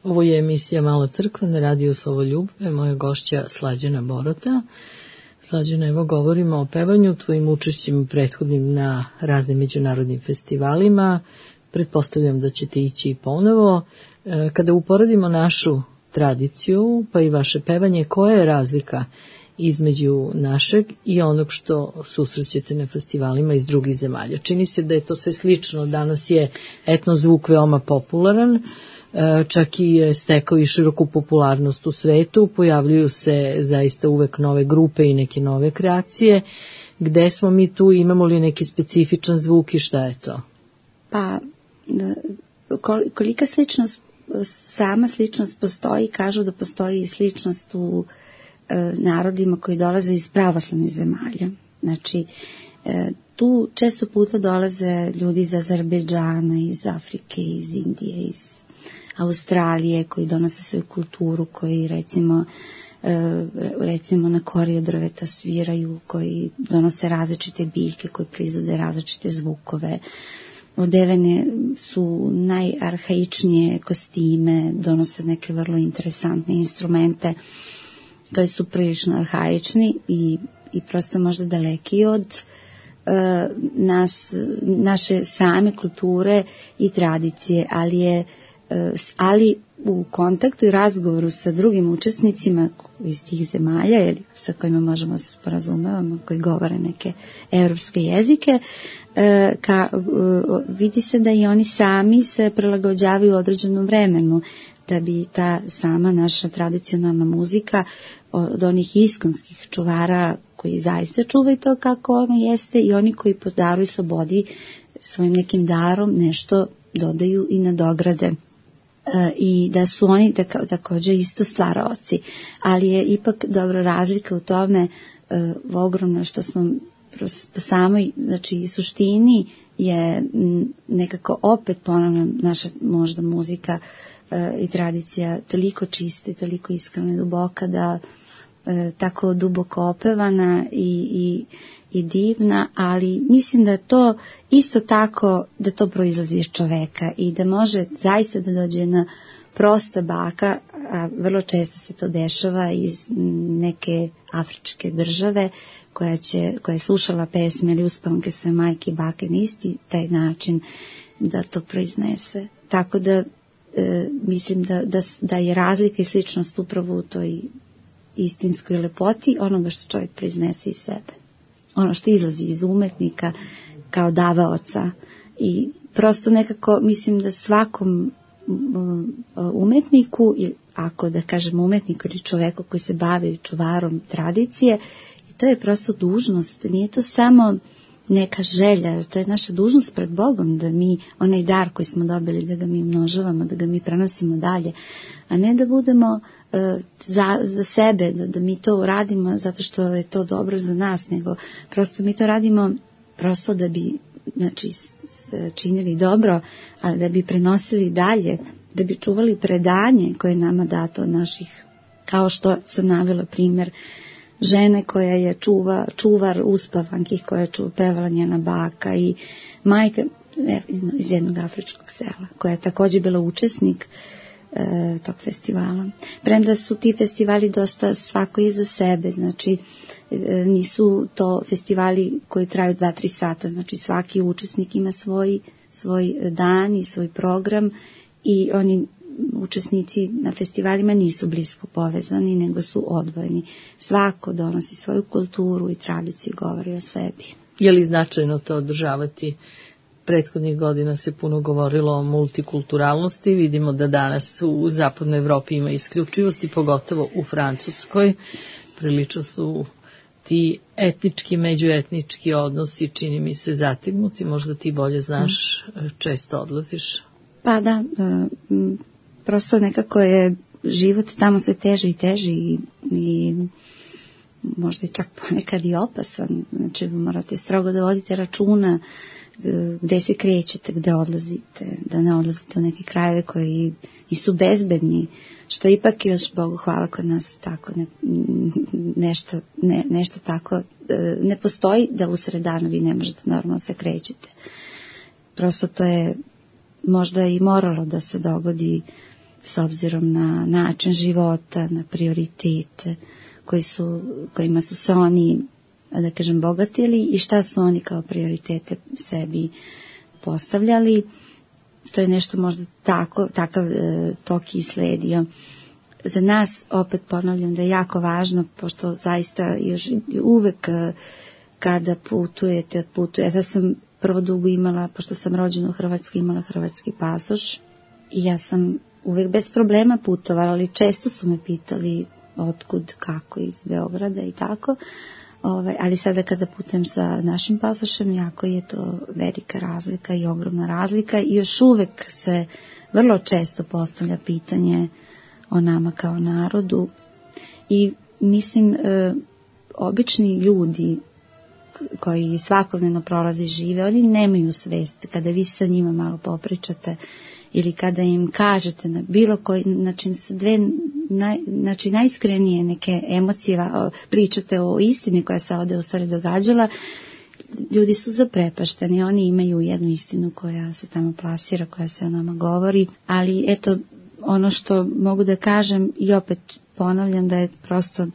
Ovo je emisija Mala crkva na radiju Slovoljubove, moja gošća Slađana Borota. Slađana, evo govorimo o pevanju, tvojim učešćima prethodnim na raznim međunarodnim festivalima. Pretpostavljam da ćete ići i ponovo. Kada uporedimo našu tradiciju, pa i vaše pevanje, koja je razlika između našeg i onog što susrećete na festivalima iz drugih zemalja? Čini se da je to sve slično. Danas je etno zvuk veoma popularan, čak i je stekao i široku popularnost u svetu, pojavljuju se zaista uvek nove grupe i neke nove kreacije. Gde smo mi tu, imamo li neki specifičan zvuk i šta je to? Pa, kolika sličnost, sama sličnost postoji, kažu da postoji i sličnost u e, narodima koji dolaze iz pravoslavnih zemalja. Znači, E, tu često puta dolaze ljudi iz Azerbejdžana, iz Afrike, iz Indije, iz Australije, koji donose svoju kulturu, koji recimo e, recimo na kori od drveta sviraju, koji donose različite biljke, koji proizvode različite zvukove. Odevene su najarhaičnije kostime, donose neke vrlo interesantne instrumente koji su prilično arhaični i, i prosto možda daleki od e, nas, naše same kulture i tradicije, ali je e, ali u kontaktu i razgovoru sa drugim učesnicima iz tih zemalja ili sa kojima možemo se sporazumevamo, koji govore neke evropske jezike, e, ka, e, vidi se da i oni sami se prilagođavaju određenom vremenu, da bi ta sama naša tradicionalna muzika od onih iskonskih čuvara koji zaista čuvaju to kako ono jeste i oni koji po daru i slobodi svojim nekim darom nešto dodaju i nadograde. E, i da su oni tako, također isto stvaraoci, ali je ipak dobro razlika u tome e, ogromno što smo po samoj, znači suštini je nekako opet ponavljam naša možda muzika e, i tradicija toliko čista i toliko iskrena i duboka da e, tako duboko opevana i, i i divna, ali mislim da to isto tako, da to proizlazi iz čoveka i da može zaista da dođe jedna prosta baka, a vrlo često se to dešava iz neke afričke države koja, će, koja je slušala pesme ili uspavanke sve majke i bake na isti taj način da to proiznese. Tako da e, mislim da, da, da je razlika i sličnost upravo u toj istinskoj lepoti onoga što čovjek proiznese iz sebe. Ono što izlazi iz umetnika kao davaoca i prosto nekako mislim da svakom umetniku, ako da kažem umetniku ili čoveku koji se bavi čuvarom tradicije, to je prosto dužnost, nije to samo neka želja, to je naša dužnost pred Bogom da mi onaj dar koji smo dobili da ga mi množavamo, da ga mi prenosimo dalje, a ne da budemo e, za, za sebe, da, da mi to radimo zato što je to dobro za nas, nego prosto mi to radimo prosto da bi znači, činili dobro, ali da bi prenosili dalje, da bi čuvali predanje koje je nama dato od naših, kao što sam navela primjer žene koja je čuva, čuvar uspavanki koja je čuva, pevala njena baka i majka e, iz jednog afričkog sela koja je također bila učesnik e, tog festivala. Premda su ti festivali dosta svako je za sebe, znači e, nisu to festivali koji traju dva, tri sata, znači svaki učesnik ima svoj, svoj dan i svoj program i oni učesnici na festivalima nisu blisko povezani, nego su odvojeni. Svako donosi svoju kulturu i tradiciju, govori o sebi. Je li značajno to održavati? Prethodnih godina se puno govorilo o multikulturalnosti. Vidimo da danas u zapadnoj Evropi ima isključivosti, pogotovo u Francuskoj. Prilično su ti etnički, međuetnički odnosi, čini mi se, zategnuti. Možda ti bolje znaš, često odlaziš. Pa da, prosto nekako je život tamo sve teži i teži i, i možda i čak ponekad i opasan. Znači morate strogo da vodite računa gde se krećete, gde odlazite, da ne odlazite u neke krajeve koji nisu bezbedni, što ipak još Bogu hvala kod nas tako ne, nešto, ne, nešto tako ne postoji da usred dana vi ne možete normalno se krećete. Prosto to je možda i moralo da se dogodi s obzirom na način života, na prioritete koji su, kojima su se oni, da kažem, bogatili i šta su oni kao prioritete sebi postavljali. To je nešto možda tako, takav e, tok i sledio. Za nas, opet ponavljam, da je jako važno, pošto zaista još uvek e, kada putujete, otputujete. Ja sam prvo dugo imala, pošto sam rođena u Hrvatskoj, imala hrvatski pasoš i ja sam uvek bez problema putovala, ali često su me pitali otkud, kako iz Beograda i tako. Ove, ali sada kada putujem sa našim pasošem, jako je to velika razlika i ogromna razlika i još uvek se vrlo često postavlja pitanje o nama kao narodu i mislim e, obični ljudi koji svakodnevno prolaze i žive, oni nemaju svest. Kada vi sa njima malo popričate ili kada im kažete na bilo koji, znači dve naj, znači najiskrenije neke emocije, pričate o istini koja se ovde u stvari događala, ljudi su zaprepašteni, oni imaju jednu istinu koja se tamo plasira, koja se o nama govori, ali eto, ono što mogu da kažem i opet ponavljam da je prosto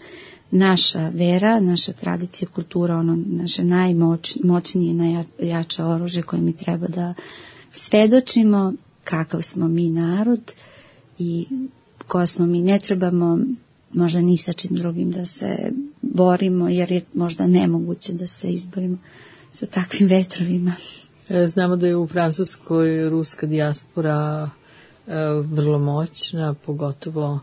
naša vera, naša tradicija, kultura, ono naše najmoćnije i najjače oružje koje mi treba da svedočimo kakav smo mi narod i ko smo mi. Ne trebamo možda ni sa čim drugim da se borimo, jer je možda nemoguće da se izborimo sa takvim vetrovima. Znamo da je u Francuskoj ruska dijaspora vrlo moćna, pogotovo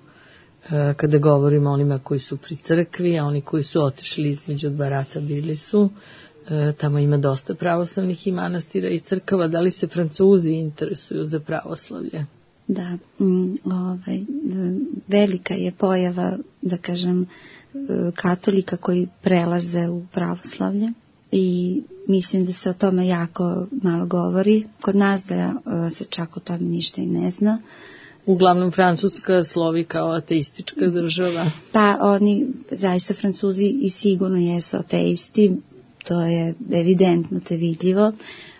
kada govorimo o onima koji su pri crkvi, a oni koji su otišli između dva rata bili su. Tamo ima dosta pravoslavnih i manastira i crkava. Da li se Francuzi interesuju za pravoslavlje? Da, ovaj, velika je pojava, da kažem, katolika koji prelaze u pravoslavlje i mislim da se o tome jako malo govori. Kod nas da se čak o tome ništa i ne zna. Uglavnom Francuska slovi kao ateistička država. Pa oni, zaista Francuzi i sigurno jesu ateisti, to je evidentno, to je vidljivo,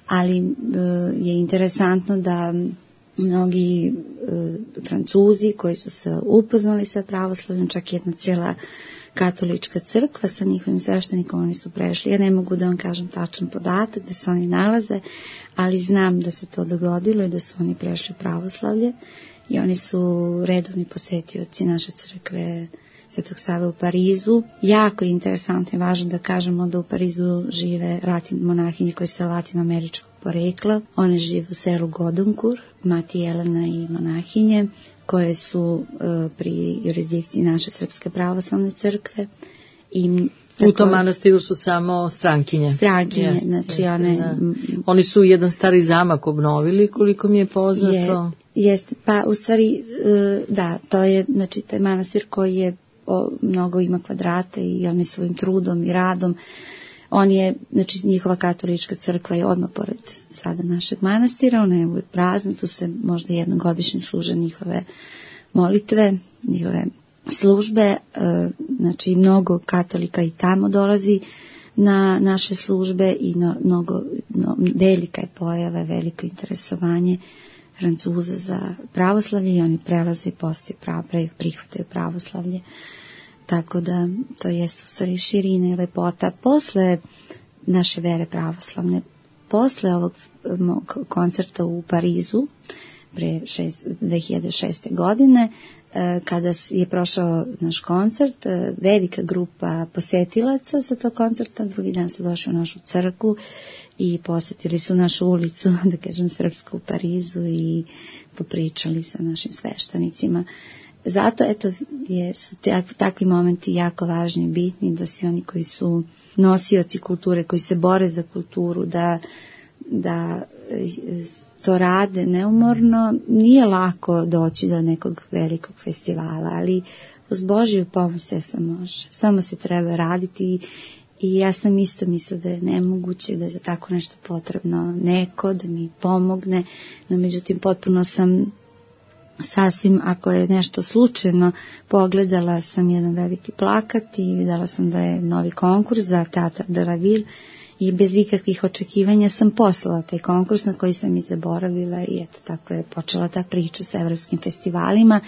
ali je interesantno da mnogi Francuzi koji su se upoznali sa pravoslavljom, čak jedna cijela katolička crkva sa njihovim sveštenikom, oni su prešli. Ja ne mogu da vam kažem tačan podatak da se oni nalaze, ali znam da se to dogodilo i da su oni prešli u pravoslavlje i oni su redovni posetioci naše crkve Svetog Save u Parizu. Jako je interesantno i važno da kažemo da u Parizu žive latin, monahinje koje su latinoameričkog porekla. One žive u selu Godonkur, mati Jelena i monahinje, koje su uh, pri jurisdikciji naše Srpske pravoslavne crkve. I u tom manastiru su samo strankinje. Strankinje, yes, znači yes, one... Da. Oni su jedan stari zamak obnovili, koliko mi je poznato. Je, jest, pa u stvari, da, to je, znači, taj manastir koji je o, mnogo ima kvadrate i oni svojim trudom i radom, on je, znači, njihova katolička crkva je odmah pored sada našeg manastira, ona je uvijek prazna, tu se možda jednogodišnje služe njihove molitve, njihove službe, znači mnogo katolika i tamo dolazi na naše službe i no, mnogo, no, velika je pojava, veliko interesovanje Francuza za pravoslavlje i oni prelaze i postoje prav, prihvataju pravoslavlje. Tako da to jeste u stvari širina i lepota. Posle naše vere pravoslavne, posle ovog koncerta u Parizu, pre šest, dve hiljade šeste. godine, kada je prošao naš koncert, velika grupa posetilaca sa tog koncerta, drugi dan su došli u našu crkvu i posetili su našu ulicu, da kažem, srpsku u Parizu i popričali sa našim sveštenicima. Zato, eto, je, su takvi momenti jako važni i bitni, da svi oni koji su nosioci kulture, koji se bore za kulturu, da, da to rade neumorno. Nije lako doći do nekog velikog festivala, ali uz Božiju pomoć sve se može. Samo se treba raditi i ja sam isto mislila da je nemoguće, da je za tako nešto potrebno neko da mi pomogne, no međutim potpuno sam sasvim, ako je nešto slučajno, pogledala sam jedan veliki plakat i videla sam da je novi konkurs za Teatr de la Ville i bez ikakvih očekivanja sam poslala taj konkurs na koji sam i zaboravila i eto tako je počela ta priča sa evropskim festivalima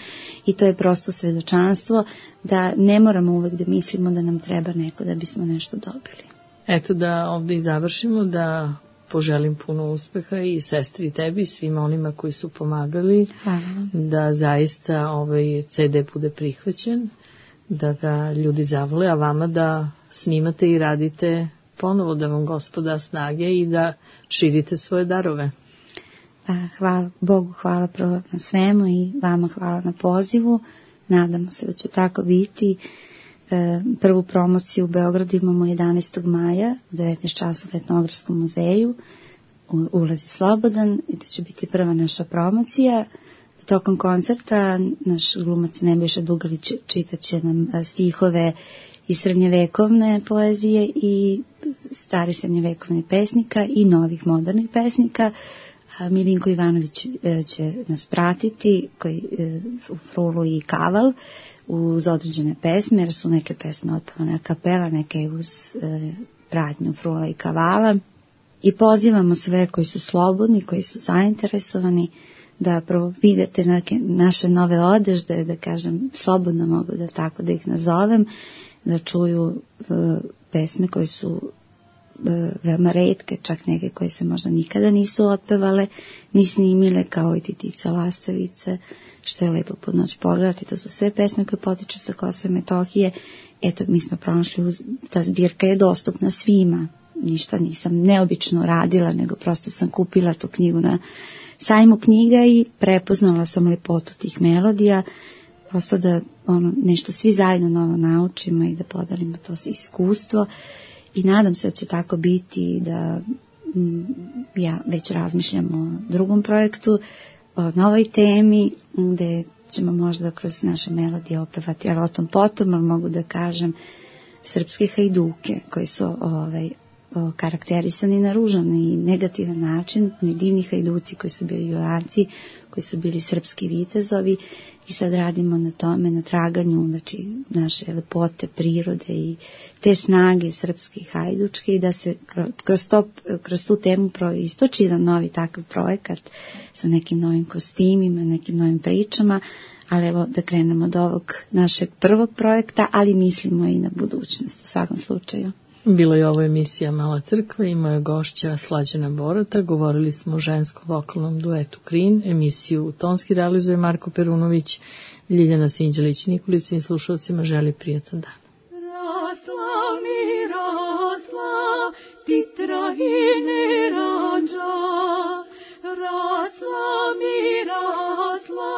i to je prosto svedočanstvo da ne moramo uvek da mislimo da nam treba neko da bismo nešto dobili. Eto da ovdje i završimo, da poželim puno uspeha i sestri i tebi i svima onima koji su pomagali. Hvala. Da zaista ovaj ce de bude prihvaćen, da ga ljudi zavole, a vama da snimate i radite ponovo, da vam Gospod da snage i da širite svoje darove. Pa, hvala Bogu, hvala prvo na svemu i vama hvala na pozivu. Nadamo se da će tako biti. E, prvu promociju u Beogradu imamo jedanaestog maja u devetnaest časova u Etnografskom muzeju. Ulaz je slobodan i to će biti prva naša promocija. Tokom koncerta naš glumac Nebojša Dugalić čitat će nam stihove i srednjevekovne poezije i starih srednjevekovnih pesnika i novih modernih pesnika. Milinko Ivanović će nas pratiti, koji u Frulu i Kaval, uz određene pesme, jer su neke pesme otpevane a kapela, neke uz pratnju Frula i Kavala. I pozivamo sve koji su slobodni, koji su zainteresovani, da prvo vidite neke naše nove odežde, da kažem, slobodno mogu da tako da ih nazovem, da čuju uh, pesme koje su uh, veoma retke, čak neke koje se možda nikada nisu otpevale, ni snimile, kao i Titica Lastavice, što je lepo pod noć pogledati. To su sve pesme koje potiču sa Kosova i Metohije. Eto, mi smo pronašli, uz, ta zbirka je dostupna svima. Ništa nisam neobično radila, nego prosto sam kupila tu knjigu na sajmu knjiga i prepoznala sam lepotu tih melodija, prosto da ono, nešto svi zajedno novo naučimo i da podelimo to iskustvo. I nadam se da će tako biti, da m, ja već razmišljam o drugom projektu, o novoj temi, gde ćemo možda kroz naše melodije opevati, ali o tom potom, ali mogu da kažem, srpske hajduke koji su ovaj, karakterisani na ružan i negativan način, oni divni hajduci koji su bili junaci, koji su bili srpski vitezovi, i sad radimo na tome, na traganju, znači naše lepote, prirode i te snage srpske i hajdučke, i da se kroz, to, kroz tu temu proistoči jedan novi takav projekat sa nekim novim kostimima, nekim novim pričama, ali evo da krenemo od ovog našeg prvog projekta, ali mislimo i na budućnost u svakom slučaju. Bilo je ovo emisija Mala crkva i moja gošća Slađana Borota. Govorili smo o ženskom vokalnom duetu Krin. Emisiju tonski realizuje Marko Perunović. Ljiljana Sinđelić-Nikolić i slušalcima želi prijatan dan. Rasla mi rasla, ti trahine ranđa. Rasla mi rasla,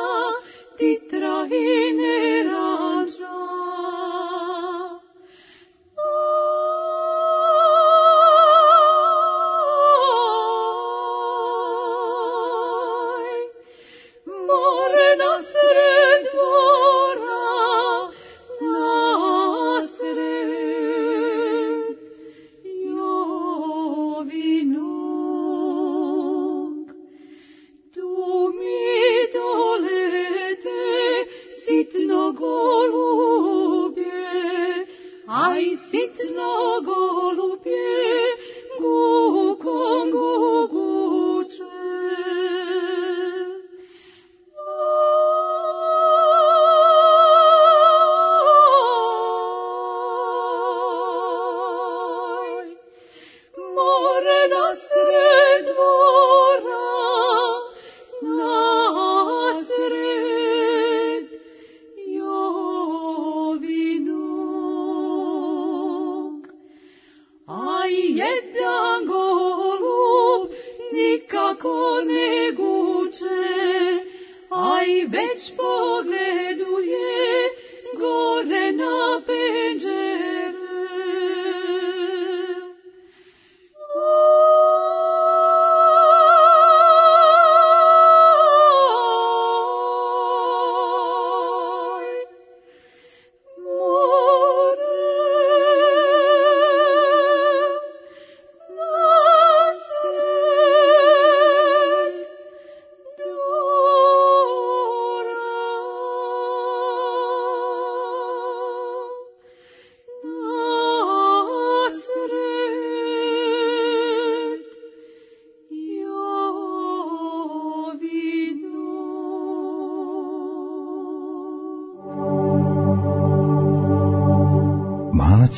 ti trahine ranđa.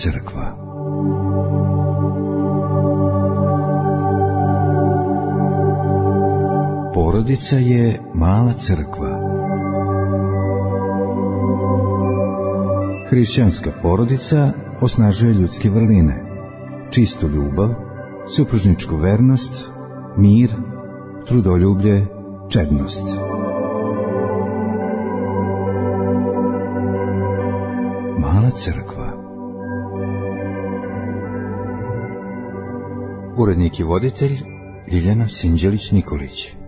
Crkva. Porodica je mala crkva. Hrišćanska porodica osnažuje ljudske vrline, čistu ljubav, supružničku vernost, mir, trudoljublje, čednost. Mala crkva. Urednik i voditelj Ljiljana Sinđelić-Nikolić.